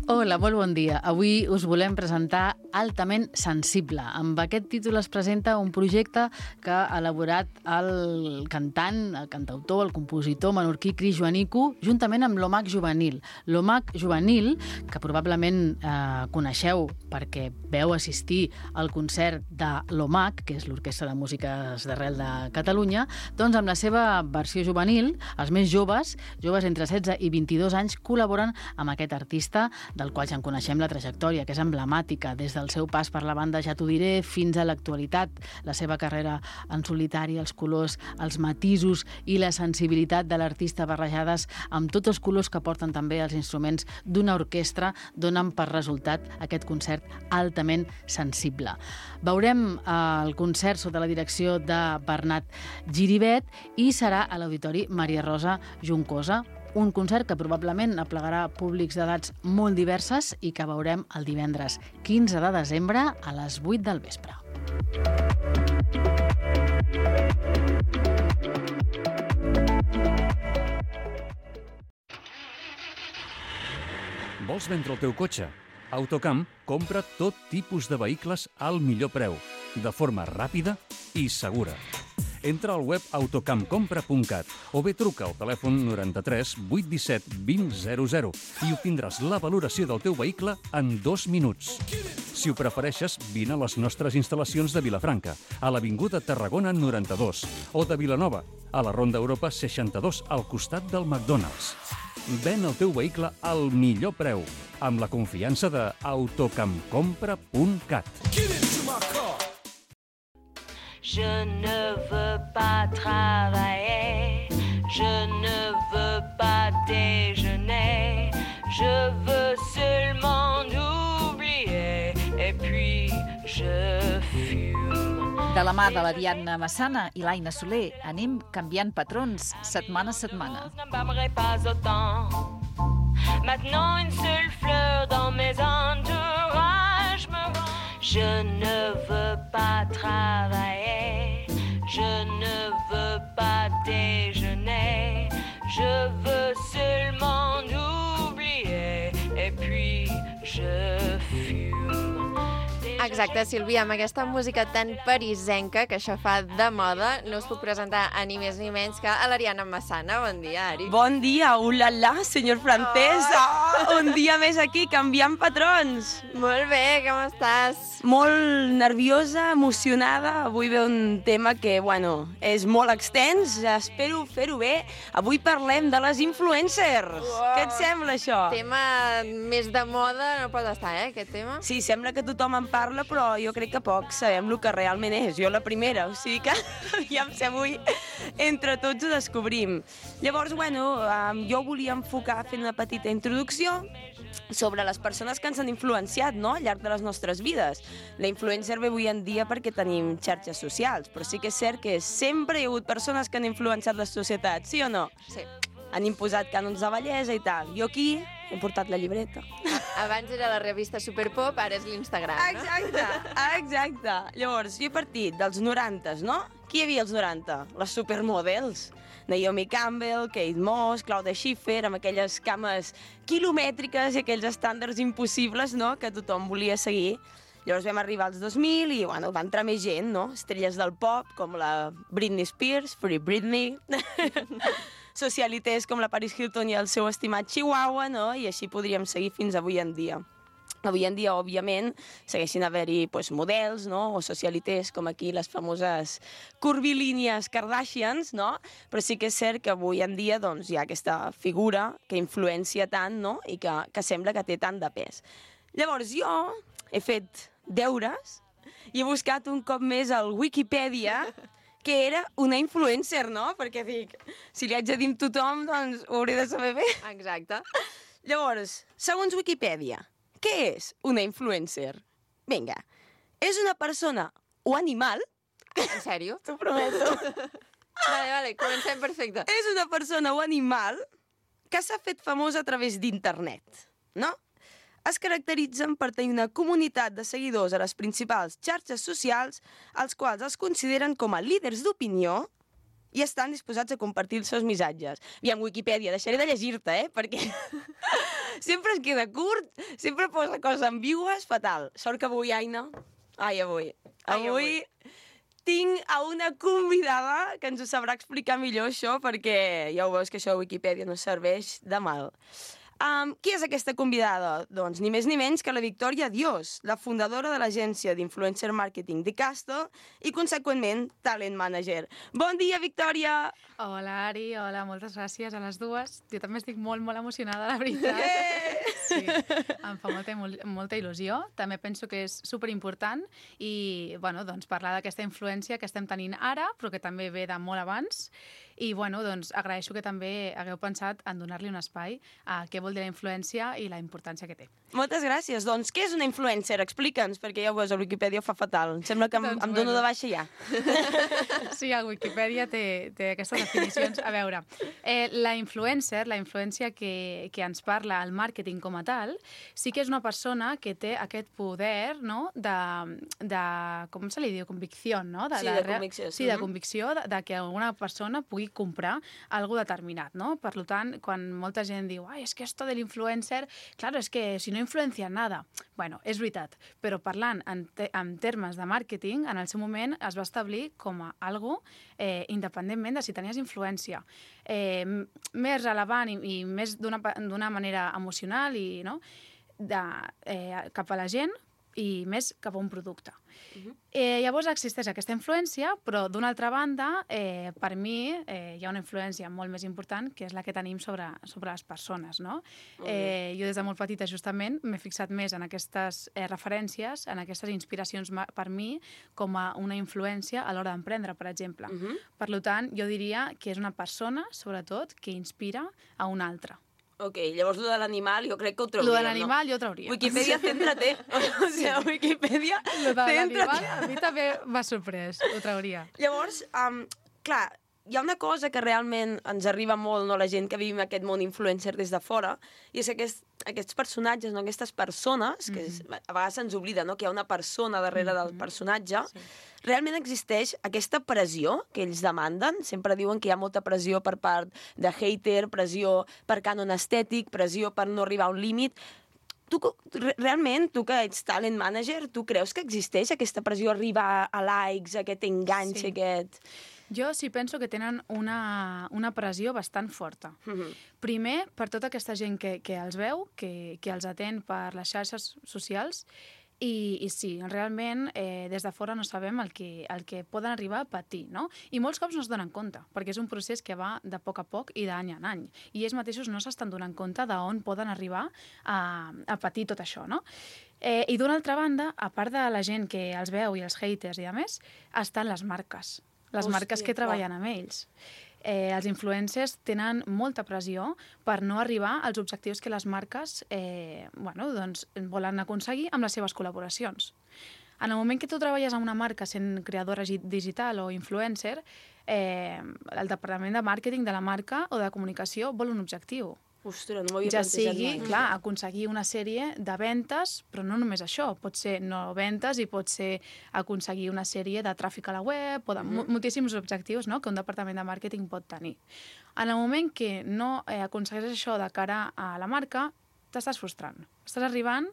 Hola, molt bon dia. Avui us volem presentar Altament Sensible. Amb aquest títol es presenta un projecte que ha elaborat el cantant, el cantautor, el compositor menorquí Cris Joanico, juntament amb l'Omac Juvenil. L'Omac Juvenil, que probablement eh, coneixeu perquè veu assistir al concert de l'Omac, que és l'Orquestra de Músiques d'Arrel de Catalunya, doncs amb la seva versió juvenil, els més joves, joves entre setze i vint-i-dos anys, col·laboren amb aquest artista, del qual ja en coneixem la trajectòria, que és emblemàtica, des del seu pas per la banda Ja t'ho diré fins a l'actualitat, la seva carrera en solitari, els colors, els matisos i la sensibilitat de l'artista barrejades amb tots els colors que porten també els instruments d'una orquestra, donen per resultat aquest concert altament sensible. Veurem el concert sota la direcció de Bernat Giribet i serà a l'Auditori Maria Rosa Juncosa, un concert que probablement aplegarà públics d'edats molt diverses i que veurem el divendres quinze de desembre a les vuit del vespre. Vols vendre el teu cotxe? Autocamp compra tot tipus de vehicles al millor preu, de forma ràpida i segura. Entra al web autocampcompra punt cat o bé truca al telèfon noranta-tres vuit disset vint zero zero i obtindràs la valoració del teu vehicle en dos minuts. Si ho prefereixes, vine a les nostres instal·lacions de Vilafranca, a l'Avinguda Tarragona noranta-dos, o de Vilanova, a la Ronda Europa seixanta-dos, al costat del McDonald's. Ven el teu vehicle al millor preu, amb la confiança de autocampcompra punt cat. Je ne veux pas travailler, je ne veux pas déjeuner, je veux seulement oublier et puis je fume. De la mà de la Diana Massana i l'Aina Soler anem canviant patrons setmana a setmana. Je n'aimerais pas autant. Maintenant une seule fleur dans mes entourages me rend. Je ne veux pas travailler, je ne veux pas déjeuner, je veux seulement oublier et puis je fume. Exacte, Sílvia, amb aquesta música tan parisenca que això fa de moda, no us puc presentar a ni més ni menys que a l'Ariana Massana. Bon dia, Ari. Bon dia, ulala, senyor francès. Oh. Oh, un dia més aquí, canviant patrons. Molt bé, com estàs? Molt nerviosa, emocionada. Avui ve un tema que, bueno, és molt extens. Espero fer-ho bé. Avui parlem de les influencers. Wow. Què et sembla, això? Tema més de moda no pot estar, eh, aquest tema? Sí, sembla que tothom en parla, però jo crec que pocs sabem el que realment és. Jo la primera, o sigui que aviam si avui entre tots ho descobrim. Llavors, bueno, jo volia enfocar fent una petita introducció sobre les persones que ens han influenciat, no?, al llarg de les nostres vides. La influencer ve avui en dia perquè tenim xarxes socials, però sí que és cert que sempre hi ha hagut persones que han influenciat la societat, sí o no? Sí. Han imposat cànons de bellesa i tal. Jo aquí he portat la llibreta. Abans era la revista Superpop, ara és l'Instagram, no? Exacte, exacte. Llavors, jo he partit dels norantes, no? Qui hi havia als noranta? Les supermodels. Naomi Campbell, Kate Moss, Claudia Schiffer, amb aquelles cames quilomètriques i aquells estàndards impossibles, no?, que tothom volia seguir. Llavors vam arribar als dos mil i, bueno, va entrar més gent, no? Estrelles del pop, com la Britney Spears, Free Britney, socialites com la Paris Hilton i el seu estimat Chihuahua, no? I així podríem seguir fins avui en dia. Avui en dia, òbviament, segueixin haver-hi pues, models, no?, o socialites, com aquí les famoses curvilínies Kardashians, no? Però sí que és cert que avui en dia doncs, hi ha aquesta figura que influencia tant, no?, i que, que sembla que té tant de pes. Llavors, jo he fet deures i he buscat un cop més al Wikipedia que era una influencer, no? Perquè dic, si li haig de dir a tothom, doncs ho hauré de saber bé. Exacte. Llavors, segons Wikipedia, què és una influencer? Vinga, és una persona o animal... En sèrio? T'ho prometo. Vale, vale, comencem perfecte. És una persona o animal que s'ha fet famosa a través d'internet, no? Es caracteritzen per tenir una comunitat de seguidors a les principals xarxes socials, els quals es consideren com a líders d'opinió i estan disposats a compartir els seus missatges. Aviam, Wikipedia, deixaré de llegir-te, eh?, perquè sempre es queda curt, sempre posa coses ambigües, fatal. Sort que avui, Aina... Ai, avui. Ai, avui tinc a una convidada que ens ho sabrà explicar millor, això, perquè ja ho veus que això de Wikipedia no serveix de mal. Um, qui és aquesta convidada? Doncs ni més ni menys que la Victòria Dios, la fundadora de l'agència d'influencer marketing de Castle i, conseqüentment, talent manager. Bon dia, Victòria! Hola, Ari, hola, moltes gràcies a les dues. Jo també estic molt, molt emocionada, la veritat. Eh! Sí, em fa molta, molta il·lusió. També penso que és superimportant i, bueno, doncs, parlar d'aquesta influència que estem tenint ara, però que també ve de molt abans. I, bueno, doncs, agraeixo que també hagueu pensat en donar-li un espai a què vol dir la influència i la importància que té. Moltes gràcies. Doncs, què és una influencer? Explica'ns, perquè ja ho veus, a Wikipedia ho fa fatal. Em sembla que em, doncs, em dono bueno. de baixa ja. Sí, a Wikipedia té, té aquestes definicions. A veure, eh, la influencer, la influència que, que ens parla el màrqueting com a tal, sí que és una persona que té aquest poder, no?, de, de com se li diu, convicció, no? De, sí, de, de convicció. Sí, de convicció de, de que alguna persona pugui comprar algo determinat, no? Per tant, quan molta gent diu, ai, és que esto de l'influencer, claro, és que si no influencia nada. Bueno, és veritat, però parlant en, te en termes de màrqueting, en el seu moment es va establir com a algo eh, independentment de si tenies influència. Eh, més relevant i, i més d'una manera emocional i, no? de, eh, cap a la gent i més cap a un producte. Uh-huh. eh, llavors existeix aquesta influència, però d'una altra banda, eh, per mi, eh, hi ha una influència molt més important, que és la que tenim sobre, sobre les persones, no? Uh-huh. eh, jo des de molt petita, justament, m'he fixat més en aquestes eh, referències, en aquestes inspiracions per mi, com a una influència a l'hora d'emprendre, per exemple. Uh-huh. Per tant, jo diria que és una persona, sobretot, que inspira a una altra. Ok, llavors, lo de l'animal, jo crec que ho trauríem, no? Lo de l'animal, no? jo ho trauria. Wikipedia, céntrate. O sigui, Wikipedia, lo de l'animal, céntrate. a mi també m'ha sorprès, ho trauria. Llavors, um, clar, hi ha una cosa que realment ens arriba molt, no?, la gent que vivim aquest món influencer des de fora, i és que aquest, aquests personatges, no?, aquestes persones, que és, a vegades se'ns oblida, no?, que hi ha una persona darrere mm-hmm. del personatge, sí. Realment existeix aquesta pressió que ells demanden. Sempre diuen que hi ha molta pressió per part de hater, pressió per cànon estètic, pressió per no arribar a un límit. tu, realment, tu que ets talent manager, tu creus que existeix aquesta pressió a arribar a likes, aquest enganx, Sí. aquest... Jo sí penso que tenen una, una pressió bastant forta. Mhm. Primer, per tota aquesta gent que, que els veu, que, que els atén per les xarxes socials, i, i sí, realment, eh, des de fora no sabem el que, el que poden arribar a patir, no? I molts cops no es donen compte, perquè és un procés que va de poc a poc i d'any en any. I ells mateixos no s'estan donant compte d'on poden arribar a, a patir tot això, no? Eh, I d'una altra banda, a part de la gent que els veu i els haters i a més, estan les marques. Les Hòstia, marques que treballen amb ells. Eh, els influencers tenen molta pressió per no arribar als objectius que les marques eh, bueno, doncs, volen aconseguir amb les seves col·laboracions. En el moment que tu treballes amb una marca sent creadora digital o influencer, eh, el departament de màrqueting de la marca o de comunicació vol un objectiu. Ostres, no m'havia Ja plantejat sigui, mai. clar, aconseguir una sèrie de ventes, però no només això, pot ser no ventes i pot ser aconseguir una sèrie de tràfic a la web, o de Mhm. moltíssims objectius, no?, que un departament de màrqueting pot tenir. En el moment que no eh, aconsegueixes això de cara a la marca, t'estàs frustrant. Estàs arribant,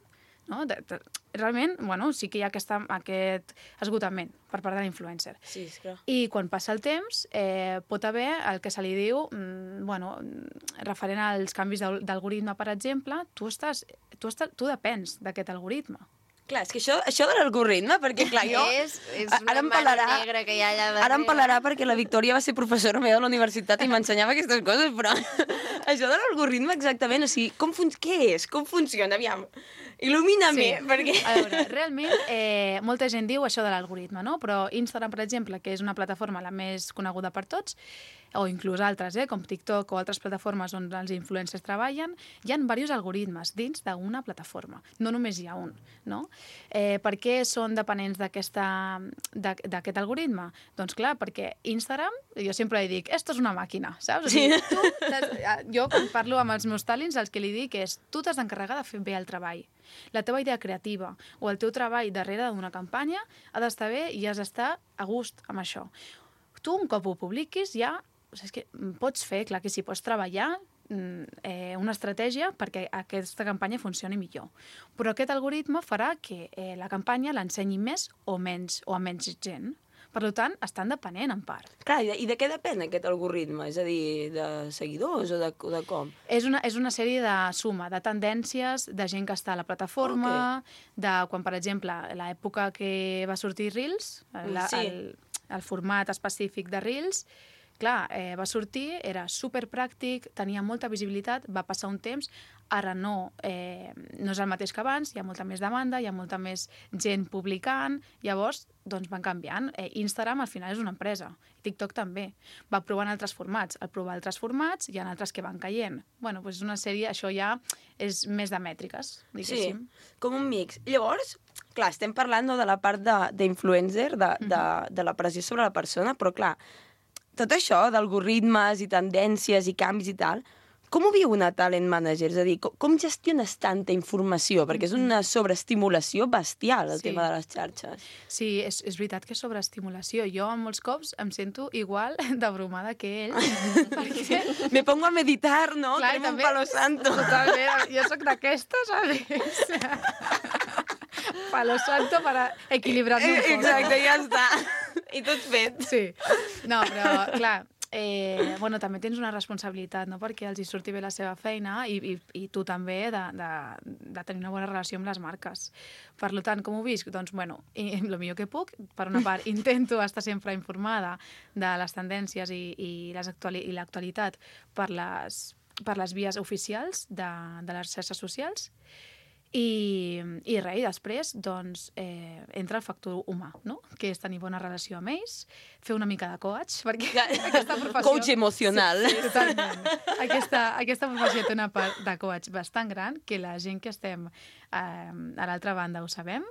no? De, de, realment, bueno, sí que hi ha aquesta, aquest esgotament per part de l'influencer. Sí, és clar. I quan passa el temps, eh, pot haver el que se li diu, mm, bueno, referent als canvis d'al- d'algoritme, per exemple, tu, estàs, tu, estàs, tu depens d'aquest algoritme. Clar, és que això, això de l'algoritme, perquè clar, jo... És, és a- una ara em mare pelarà- negra que hi ha allà darrere. Ara em pelarà perquè la Victòria va ser professora meva a la universitat i m'ensenyava aquestes coses, però això de l'algoritme exactament, o sigui, com fun... què és? Com funciona? Aviam, il·lumina-me, Sí. perquè... A veure, realment, eh, molta gent diu això de l'algoritme, no? Però Instagram, per exemple, que és una plataforma la més coneguda per tots, o inclús altres, eh, com TikTok o altres plataformes on els influencers treballen, hi ha diversos algoritmes dins d'una plataforma. No només hi ha un, no? Eh, per què són dependents d'aquesta- d'a- d'aquest algoritme? Doncs clar, perquè Instagram, jo sempre li dic, esto és una màquina, saps? O sigui, tu t'has- jo quan parlo amb els meus talents, el que li dic és, tu t'has d'encarregar de fer bé el treball. La teva idea creativa o el teu treball darrere d'una campanya ha d'estar bé i has d'estar a gust amb això. Tu, un cop ho publiquis, ja o sigui, és que pots fer, clar que sí, pots treballar mm, eh, una estratègia perquè aquesta campanya funcioni millor. Però aquest algoritme farà que eh, la campanya l'ensenyi més o menys o a menys gent. Per tant, estan depenent en part. Clar, i de, i de què depèn aquest algoritme? És a dir, de seguidors o de, o de com? És una, és una sèrie de suma, de tendències, de gent que està a la plataforma, okay. de quan, per exemple, l'època que va sortir Reels, la, Sí. el, el format específic de Reels, clar, eh, va sortir, era superpràctic, tenia molta visibilitat, va passar un temps, ara no, eh, no és el mateix que abans, hi ha molta més demanda, hi ha molta més gent publicant, llavors doncs van canviant. Eh, Instagram al final és una empresa, TikTok també. Va provant altres formats, al provar altres formats hi ha altres que van caient. Bueno, doncs és una sèrie, això ja és més de mètriques, diguéssim. Sí, com un mix. Llavors, clar, estem parlant no, de la part de- d'influencer, de, de, de, de la pressió sobre la persona, però clar, tot això d'algoritmes i tendències i canvis i tal, com ho viu una talent manager? És a dir, com, com gestiones tanta informació? Perquè és una sobreestimulació bestial, el Sí. tema de les xarxes. Sí, és, és veritat que és sobreestimulació. Jo, molts cops, em sento igual d'abrumada que ell. perquè... Me pongo a meditar, no? Clar, Cremo un també- palo santo. Totalment. Jo sóc d'aquestes, ¿sabes? Palo santo para equilibrar-me un Eh, poc. Exacte, ja està. I tot fet. Sí. No, però, clar, eh, bueno, també tens una responsabilitat, no?, perquè els hi surti bé la seva feina i, i, i tu també de, de, de tenir una bona relació amb les marques. Per tant, com ho visc? Doncs, bueno, i, el millor que puc. Per una part, intento estar sempre informada de les tendències i, i les actuali i l'actualitat per les, per les vies oficials de, de les xarxes socials. I, i res, i després doncs, eh, entra el factor humà, no? Que és tenir bona relació amb ells, fer una mica de coach, perquè aquesta professió... Coach emocional. Sí, sí, totalment. Aquesta, aquesta professió té una part de coach bastant gran, que la gent que estem eh, a l'altra banda ho sabem,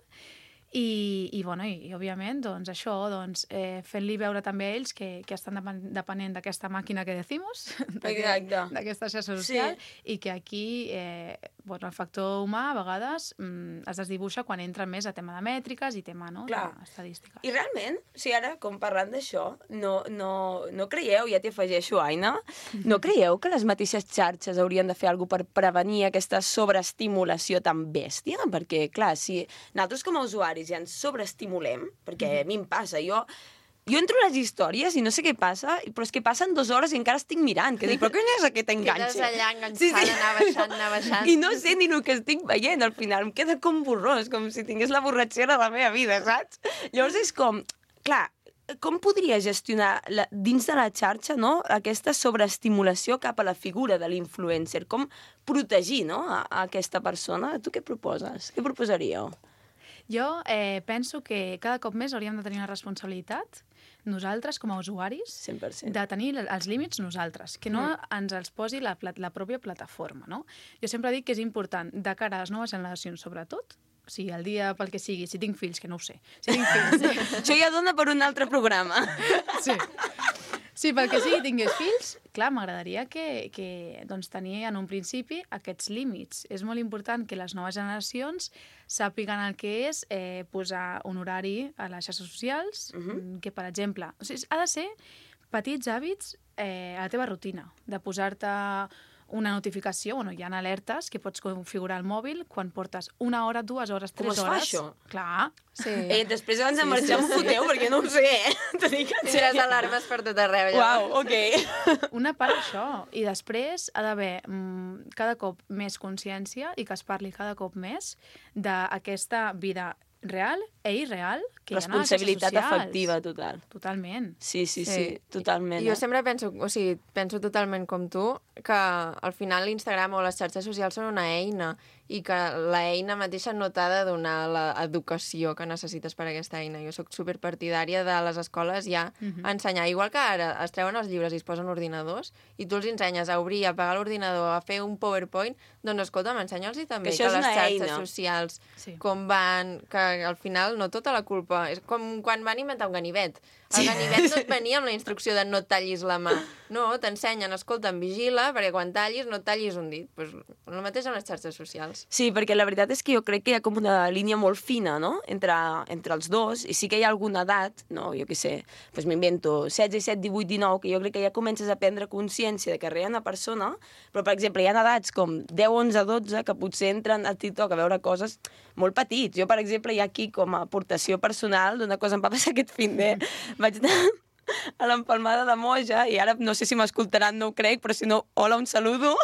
i, i, bueno, i, i òbviament, doncs, això, doncs, eh, fent-li veure també a ells que, que estan depen depenent d'aquesta màquina que decimos, d'aquesta xarxa social, sí. I que aquí, eh, Bueno, el factor humà, a vegades, mm, es desdibuixa quan entra més a tema de mètriques i tema, no?, d'estadístiques. I realment, o sigui, ara, com parlant d'això, no, no, no creieu, ja t'hi afegeixo, Aina, no creieu que les mateixes xarxes haurien de fer alguna cosa per prevenir aquesta sobreestimulació tan bèstia? Perquè, clar, si nosaltres com a usuaris ja ens sobreestimulem, perquè a mi em passa, jo... Jo entro a les històries i no sé què passa, però és que passen dues hores i encara estic mirant, que dic, però què és aquest enganxe? Quedes allà enganxada, sí, sí. anar baixant, anar baixant. I no sé ni el que estic veient, al final, em queda com borrós, com si tingués la borratxera de la meva vida, saps? Llavors és com, clar, com podria gestionar la, dins de la xarxa, no?, aquesta sobreestimulació cap a la figura de l'influencer? Com protegir, no?, a, a aquesta persona? Tu què proposes? Què proposaríeu? Jo eh, penso que cada cop més hauríem de tenir una responsabilitat, nosaltres com a usuaris, cent per cent. De tenir els límits nosaltres, que no mm. ens els posi la, la pròpia plataforma, no? Jo sempre dic que és important, de cara a les noves generacions sobretot, o sigui, el dia pel que sigui, si tinc fills, que no ho sé, si tinc fills... Això ja dona per un altre programa. Sí. Sí, pel que sigui, tingués fills, clar, m'agradaria que, que doncs, tenir en un principi aquests límits. És molt important que les noves generacions sàpiguen el que és eh, posar un horari a les xarxes socials, uh-huh. que, per exemple, o sigui, ha de ser petits hàbits eh, a la teva rutina, de posar-te una notificació, bueno, hi ha alertes que pots configurar al mòbil quan portes una hora, dues hores, tres hores. Com es fa, això? Clar. Sí. Eh, després abans de marxar sí, sí, m'ho foteu, sí. perquè no ho sé, eh? Tires alarmes per tot arreu. Uau, ok. Una part això. I després ha d'haver mm, cada cop més consciència i que es parli cada cop més d'aquesta vida real e irreal que responsabilitat hi ha a les xarxes afectiva total. Totalment. Sí, sí, sí, sí totalment. Jo eh? sempre penso, o sigui, penso totalment com tu, que al final l'Instagram o les xarxes socials són una eina i que l'eina mateixa no t'ha de donar l'educació que necessites per a aquesta eina. Jo sóc superpartidària de les escoles ja uh-huh. a ensenyar. Igual que ara es treuen els llibres i es posen ordinadors i tu els ensenyes a obrir, a apagar l'ordinador, a fer un PowerPoint, doncs escolta, m'ensenya'ls també que, que les xarxes eina. socials sí. com van, que al final no tota la culpa. És com quan van inventar un ganivet. El sí. ganivet no et venia amb la instrucció de no et tallis la mà. No, t'ensenyen, escolta, vigila, perquè quan tallis no et tallis un dit. Pues, el mateix amb les xarxes socials. Sí, perquè la veritat és que jo crec que hi ha com una línia molt fina, no?, entre, entre els dos, i sí que hi ha alguna edat, no?, jo què sé, doncs m'invento, setze, disset, divuit, dinou, que jo crec que ja comences a prendre consciència de que res hi ha una persona, però, per exemple, hi ha edats com deu, onze, dotze, que potser entren a TikTok a veure coses molt petits. Jo, per exemple, hi ha aquí com a aportació personal d'una cosa em va passar aquest fin de... Vaig anar a l'empalmada de Moja, i ara no sé si m'escoltaran, no ho crec, però si no, hola, un saludo.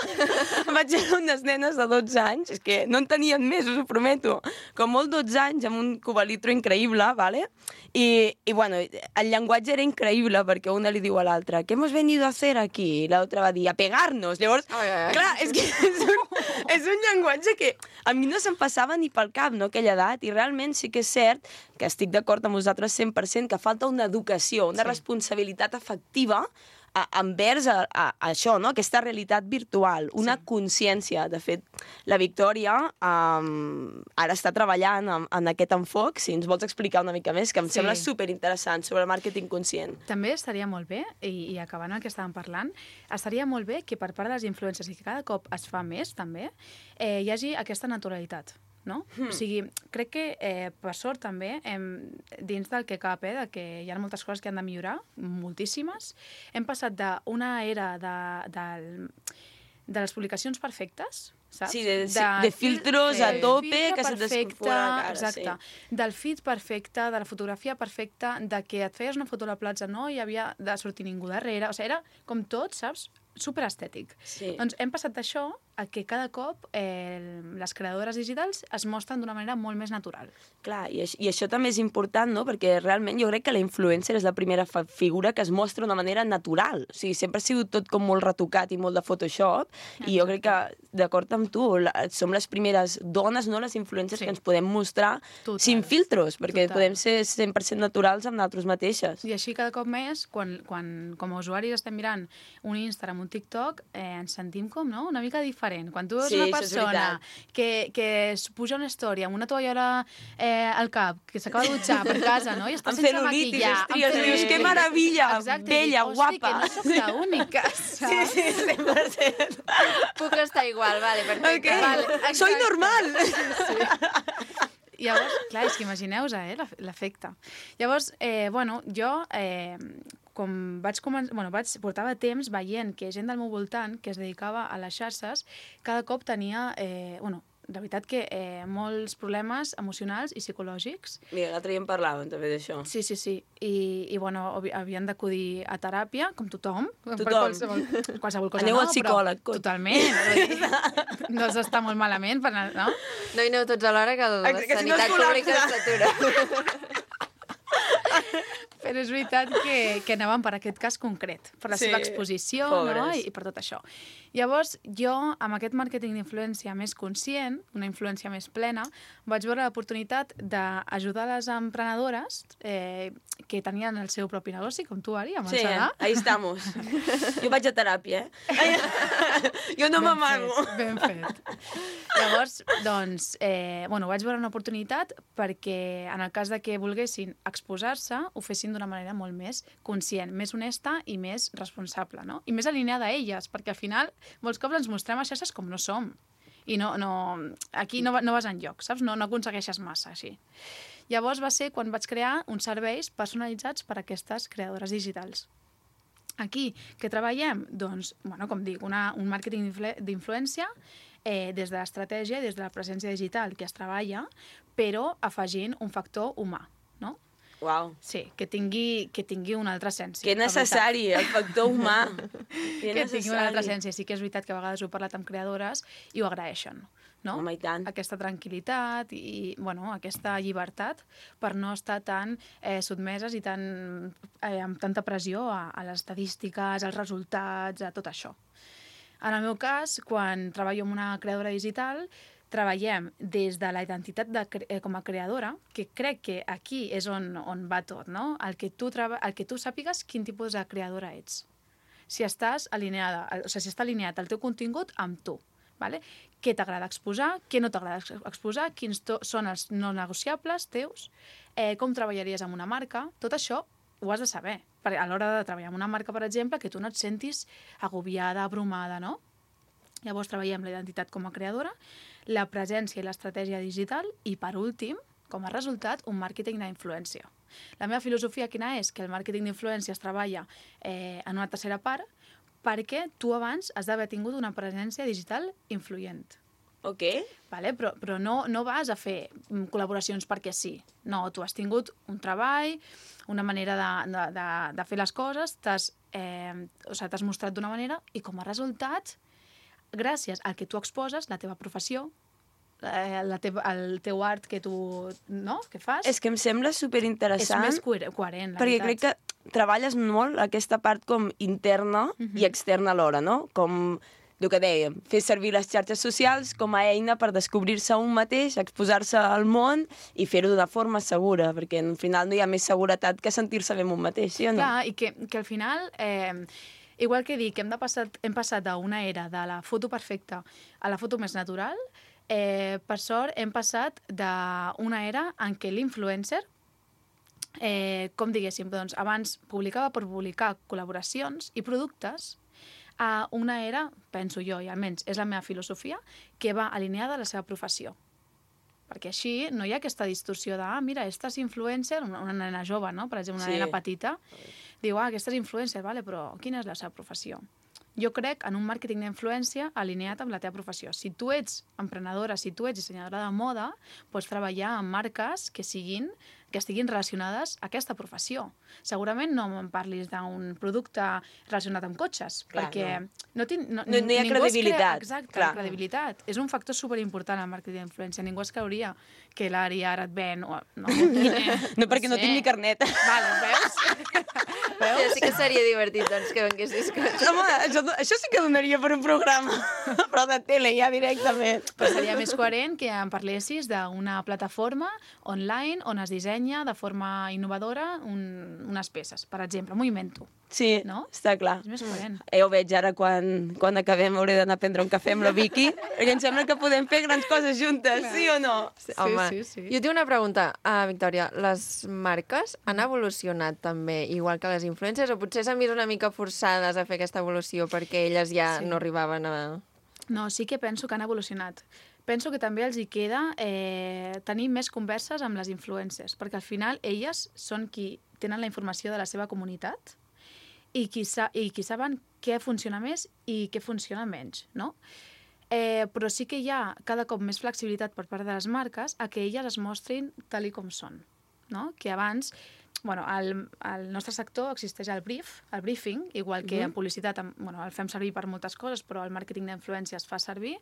Vaig anar unes nenes de dotze anys, és que no en tenien més, us ho prometo, com molt dotze anys, amb un cubalitro increïble, ¿vale? I, i bueno, el llenguatge era increïble, perquè una li diu a l'altra, ¿qué hemos venido a hacer aquí? I l'altra va dir, a pegar-nos. Llavors, ai, ai, ai. clar, és que és un, és un llenguatge que a mi no se'm passava ni pel cap, no?, aquella edat, i realment sí que és cert que estic d'acord amb vosaltres cent per cent, que falta una educació, una sí. responsabilitat afectiva a, envers a, a, a això, no?, aquesta realitat virtual, una sí. consciència. De fet, la Victòria um, ara està treballant en, en aquest enfoc, si ens vols explicar una mica més, que em sí. sembla superinteressant, sobre el màrqueting conscient. També estaria molt bé, i, i acabant el que estàvem parlant, estaria molt bé que per part dels influencers, i que cada cop es fa més, també, eh, hi hagi aquesta naturalitat. No? Hmm. O sigui, crec que, eh, per sort també, hem, dins del que cap, eh, de que hi ha moltes coses que han de millorar, moltíssimes, hem passat d'una era de, de, de les publicacions perfectes, saps? Sí, de, de, de filtros a tope, que se t'escomfora la cara. Exacte. Sí. Del feed perfecte, de la fotografia perfecta, de que et feies una foto a la platja, no hi havia de sortir ningú darrere, o sigui, era com tot, saps? Superestètic. Sí. Doncs hem passat d'això a que cada cop eh, les creadores digitals es mostren d'una manera molt més natural. Clar, i, i això també és important, no?, perquè realment jo crec que la influencer és la primera figura que es mostra d'una manera natural. O sigui, sempre ha sigut tot com molt retocat i molt de Photoshop, exacte. I jo crec que, d'acord amb tu, la, som les primeres dones, no?, les influencers sí. que ens podem mostrar total. Sin filtros, perquè total. Podem ser cent per cent naturals amb nosaltres mateixes. I així cada cop més, quan, quan com a usuaris estem mirant un Instagram, un TikTok, eh, ens sentim com, no?, una mica diferent diferent. Quan tu veus Sí, una això és persona veritat. que, que es puja una història amb una tovallola eh, al cap, que s'acaba de dutxar per casa, no? I està Amb sense cel·lulitis, maquillar. estries, dius, que meravella, Exacte, bella, dic, guapa. Hosti, que no soc la única, saps? Sí, sí, cent per cent. Puc estar igual, vale, perfecte. Okay. Vale, Soy exacte. normal. Sí. Llavors, clar, és que imagineu-vos, eh, l'efecte. Llavors, eh, bueno, jo, eh, com vaig començar, bueno, vaig, portava temps veient que gent del meu voltant que es dedicava a les xarxes, cada cop tenia, eh, bueno, de veritat que eh, molts problemes emocionals i psicològics. Mira, l'altre dia en parlàvem també d'això. Sí, sí, sí. I, i bueno, havien d'acudir a teràpia, com tothom. Tothom. Per qualsevol, qualsevol cosa. Aneu no, al psicòleg. Però, totalment. Vull dir, no s'està molt malament, per, no? No hi aneu tots alhora, que la Que si no sanitat es pública col·lapsa. s'atura. Però és veritat que, que anàvem per aquest cas concret, per la Sí, seva exposició, pobres. no? I, i per tot això. Llavors, jo, amb aquest màrqueting d'influència més conscient, una influència més plena, vaig veure l'oportunitat d'ajudar les emprenedores eh, que tenien el seu propi negoci, com tu, Ari, amb el Sí, Sadà. ahí estamos. Jo vaig a teràpia, eh? Jo no m'amago. Ben fet. Llavors, doncs, eh, bueno, vaig veure una oportunitat perquè en el cas de que volguessin exposar-se, ho fessin d'una manera molt més conscient, més honesta i més responsable, no? I més alineada a elles, perquè al final molts cops ens mostrem a xarxes com no som. I no, no, aquí no, no vas enlloc, saps? No, no aconsegueixes massa, així. Llavors va ser quan vaig crear uns serveis personalitzats per a aquestes creadores digitals. Aquí, què treballem? Doncs, bueno, com dic, una, un màrqueting d'influència eh, des de l'estratègia, des de la presència digital que es treballa, però afegint un factor humà, no? Uau. Sí, que tingui, que tingui una altra essència. Que necessari, el factor humà. Que, que tingui una altra essència. Sí que és veritat que a vegades ho he parlat amb creadores i ho agraeixen, no? Home, i tant. Aquesta tranquil·litat i, bueno, aquesta llibertat per no estar tan eh, sotmeses i tan, eh, amb tanta pressió a, a les estadístiques, als resultats, a tot això. En el meu cas, quan treballo amb una creadora digital, treballem des de la identitat de, eh, com a creadora, que crec que aquí és on, on va tot, no? El que, tu treba, el que tu sàpigues quin tipus de creadora ets. Si estàs alineada, o sigui, si està alineat el teu contingut amb tu, vale? Què t'agrada exposar, què no t'agrada exposar, quins són els no negociables teus, eh, com treballaries amb una marca, tot això ho has de saber. Perquè a l'hora de treballar amb una marca, per exemple, que tu no et sentis agobiada, abrumada, no? Llavors treballem la identitat com a creadora, la presència i l'estratègia digital i, per últim, com a resultat, un màrqueting d'influència. La meva filosofia quina és? Que el màrqueting d'influència es treballa eh, en una tercera part perquè tu abans has d'haver tingut una presència digital influent. Ok. Vale? Però, però no, no vas a fer col·laboracions perquè sí. No, tu has tingut un treball, una manera de, de, de, de fer les coses, t'has eh, o sigui, t'has mostrat d'una manera i com a resultat, gràcies al que tu exposes, la teva professió, eh, la teva, el teu art que tu no? que fas... És que em sembla superinteressant. És més coherent, la perquè veritat. crec que treballes molt aquesta part com interna Mhm. i externa alhora, no? Com el que dèiem, fer servir les xarxes socials com a eina per descobrir-se un mateix, exposar-se al món i fer-ho d'una forma segura, perquè al final no hi ha més seguretat que sentir-se bé amb un mateix, sí o no? Clar, i que, que al final... Eh, igual que dic que hem, de passat, hem passat d'una era de la foto perfecta a la foto més natural, eh, per sort hem passat d'una era en què l'influencer, eh, com diguéssim, doncs, abans publicava per publicar col·laboracions i productes, a una era, penso jo, i almenys és la meva filosofia, que va alineada a la seva professió. Perquè així no hi ha aquesta distorsió de, ah, mira, esta és influencer, una, una nena jove, no? Per exemple, una Sí. nena petita, diu, ah, aquesta és influencer, vale, però quina és la seva professió? Jo crec en un màrqueting d'influència alineat amb la teva professió. Si tu ets emprenedora, si tu ets dissenyadora de moda, pots treballar amb marques que siguin que estiguin relacionades a aquesta professió. Segurament no em parlis d'un producte relacionat amb cotxes, Clar, perquè no. no, tin, no, No- no hi ha ningú es credibilitat, Crea, exacte, clar. la credibilitat. És un factor superimportant al màrqueting d'influència. Ningú es creuria que l'Ari ara et ven... O, no, No, perquè no sé. tinc ni carnet. Vale, veus? Sí, sí que seria divertit, doncs, que venguessis cotxes. Home, això, això sí que donaria per un programa, però de tele ja directament. Però seria més coherent que em parlessis d'una plataforma online on es dissenya dissenya de forma innovadora un, unes peces, per exemple, m'ho invento. Sí, no? Està clar. És més coherent. Eh, ho veig ara quan, quan acabem, hauré d'anar a prendre un cafè amb la Vicky, perquè em sembla que podem fer grans coses juntes, sí o no? Sí, Home, sí, sí. Jo tinc una pregunta, uh, Victòria. Les marques han evolucionat també igual que les influencers o potser s'han vist una mica forçades a fer aquesta evolució perquè elles ja Sí. no arribaven a... No, sí que penso que han evolucionat. Penso que també els hi queda eh, tenir més converses amb les influencers, perquè al final elles són qui tenen la informació de la seva comunitat i qui, sa i qui saben què funciona més i què funciona menys, no? Eh, però sí que hi ha cada cop més flexibilitat per part de les marques a que elles es mostrin tal i com són, no? Que abans... Bueno, al, al nostre sector existeix el brief, el briefing, igual que Mhm. en publicitat, bueno, el fem servir per moltes coses, però el màrqueting d'influència es fa servir,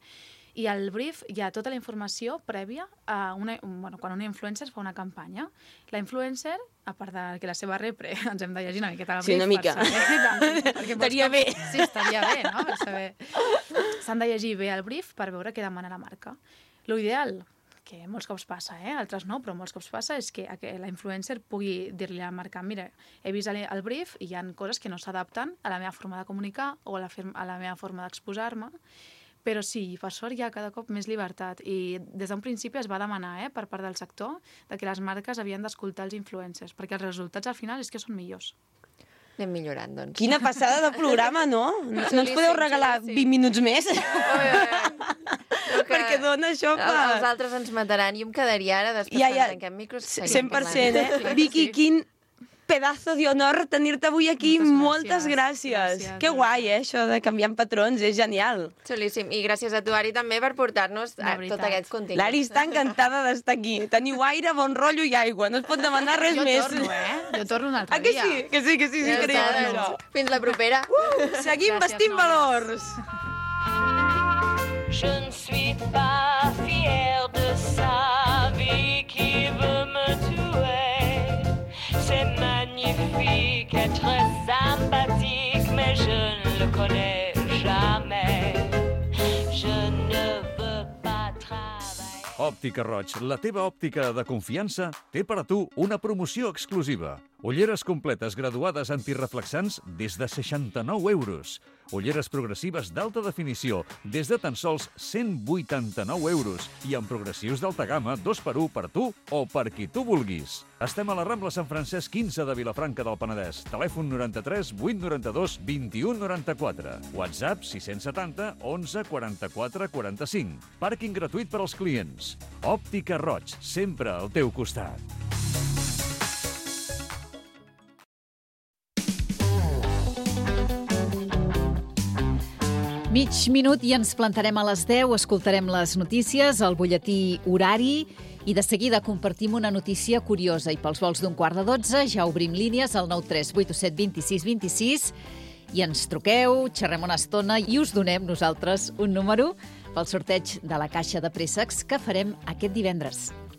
i al brief hi ha tota la informació prèvia a una, bueno, quan una influencer fa una campanya. La influencer, a part de que la seva repre ens hem de llegir una miqueta el Sí, brief, una mica. per saber, perquè Estaria molts bé. cops- Sí, estaria bé, no? Per saber. S'han de llegir bé el brief per veure què demana la marca. Lo ideal, que molts cops passa, eh? Altres no, però molts cops passa, és que la influencer pugui dir-li a la marca, mira, he vist el el brief i hi ha coses que no s'adapten a la meva forma de comunicar o a la, a la meva forma d'exposar-me, però sí, per sort hi ha cada cop més llibertat i des d'un principi es va demanar eh, per part del sector de que les marques havien d'escoltar els influencers, perquè els resultats al final és que són millors. Anem millorant, doncs. Quina passada de programa, no? No, no ens podeu regalar vint minuts més? Perquè dona això per... Els altres ens mataran. Jo em quedaria ara, després Ja, quan ja. tanquem micros... cent per cent, eh? Vicky, quin pedazo de honor tenir-te avui aquí. Moltes gràcies. gràcies. Que guai, eh, això de canviar patrons, és genial. Xulíssim. I gràcies a tu, Ari, també per portar-nos a tot aquest contingut. L'Ari està encantada d'estar aquí. Teniu aire, bon rotllo i aigua. No es pot demanar res Jo més. torno, eh? Jo torno un altre Ah, que dia. sí? Que sí, que sí, sí, Ja increïble, està, això. doncs. Fins la propera. Uh, seguim Gràcies, vestint noies. valors. Je ne suis pas fière de sa vie qui veut me tuer. C'est magnifique, être sympathique, mais je ne le connais jamais. Je ne veux pas travailler. Òptica Roig, la teva òptica de confiança, té per a tu una promoció exclusiva. Ulleres completes graduades antireflexants des de seixanta-nou euros. Ulleres progressives d'alta definició des de tan sols cent vuitanta-nou euros i amb progressius d'alta gamma dos per un per tu o per qui tu vulguis. Estem a la Rambla Sant Francesc quinze de Vilafranca del Penedès. Telèfon noranta-tres vuit noranta-dos vint-i-un noranta-quatre. WhatsApp sis cents setanta onze quaranta-quatre quaranta-cinc. Pàrquing gratuït per als clients. Òptica Roig, sempre al teu costat. Mig minut i ens plantarem a les deu, escoltarem les notícies, el butlletí horari i de seguida compartim una notícia curiosa. I pels vols d'un quart de dotze ja obrim línies al nou tres vuit set dos sis dos sis i ens truqueu, xerrem una estona i us donem nosaltres un número pel sorteig de la caixa de préssecs que farem aquest divendres.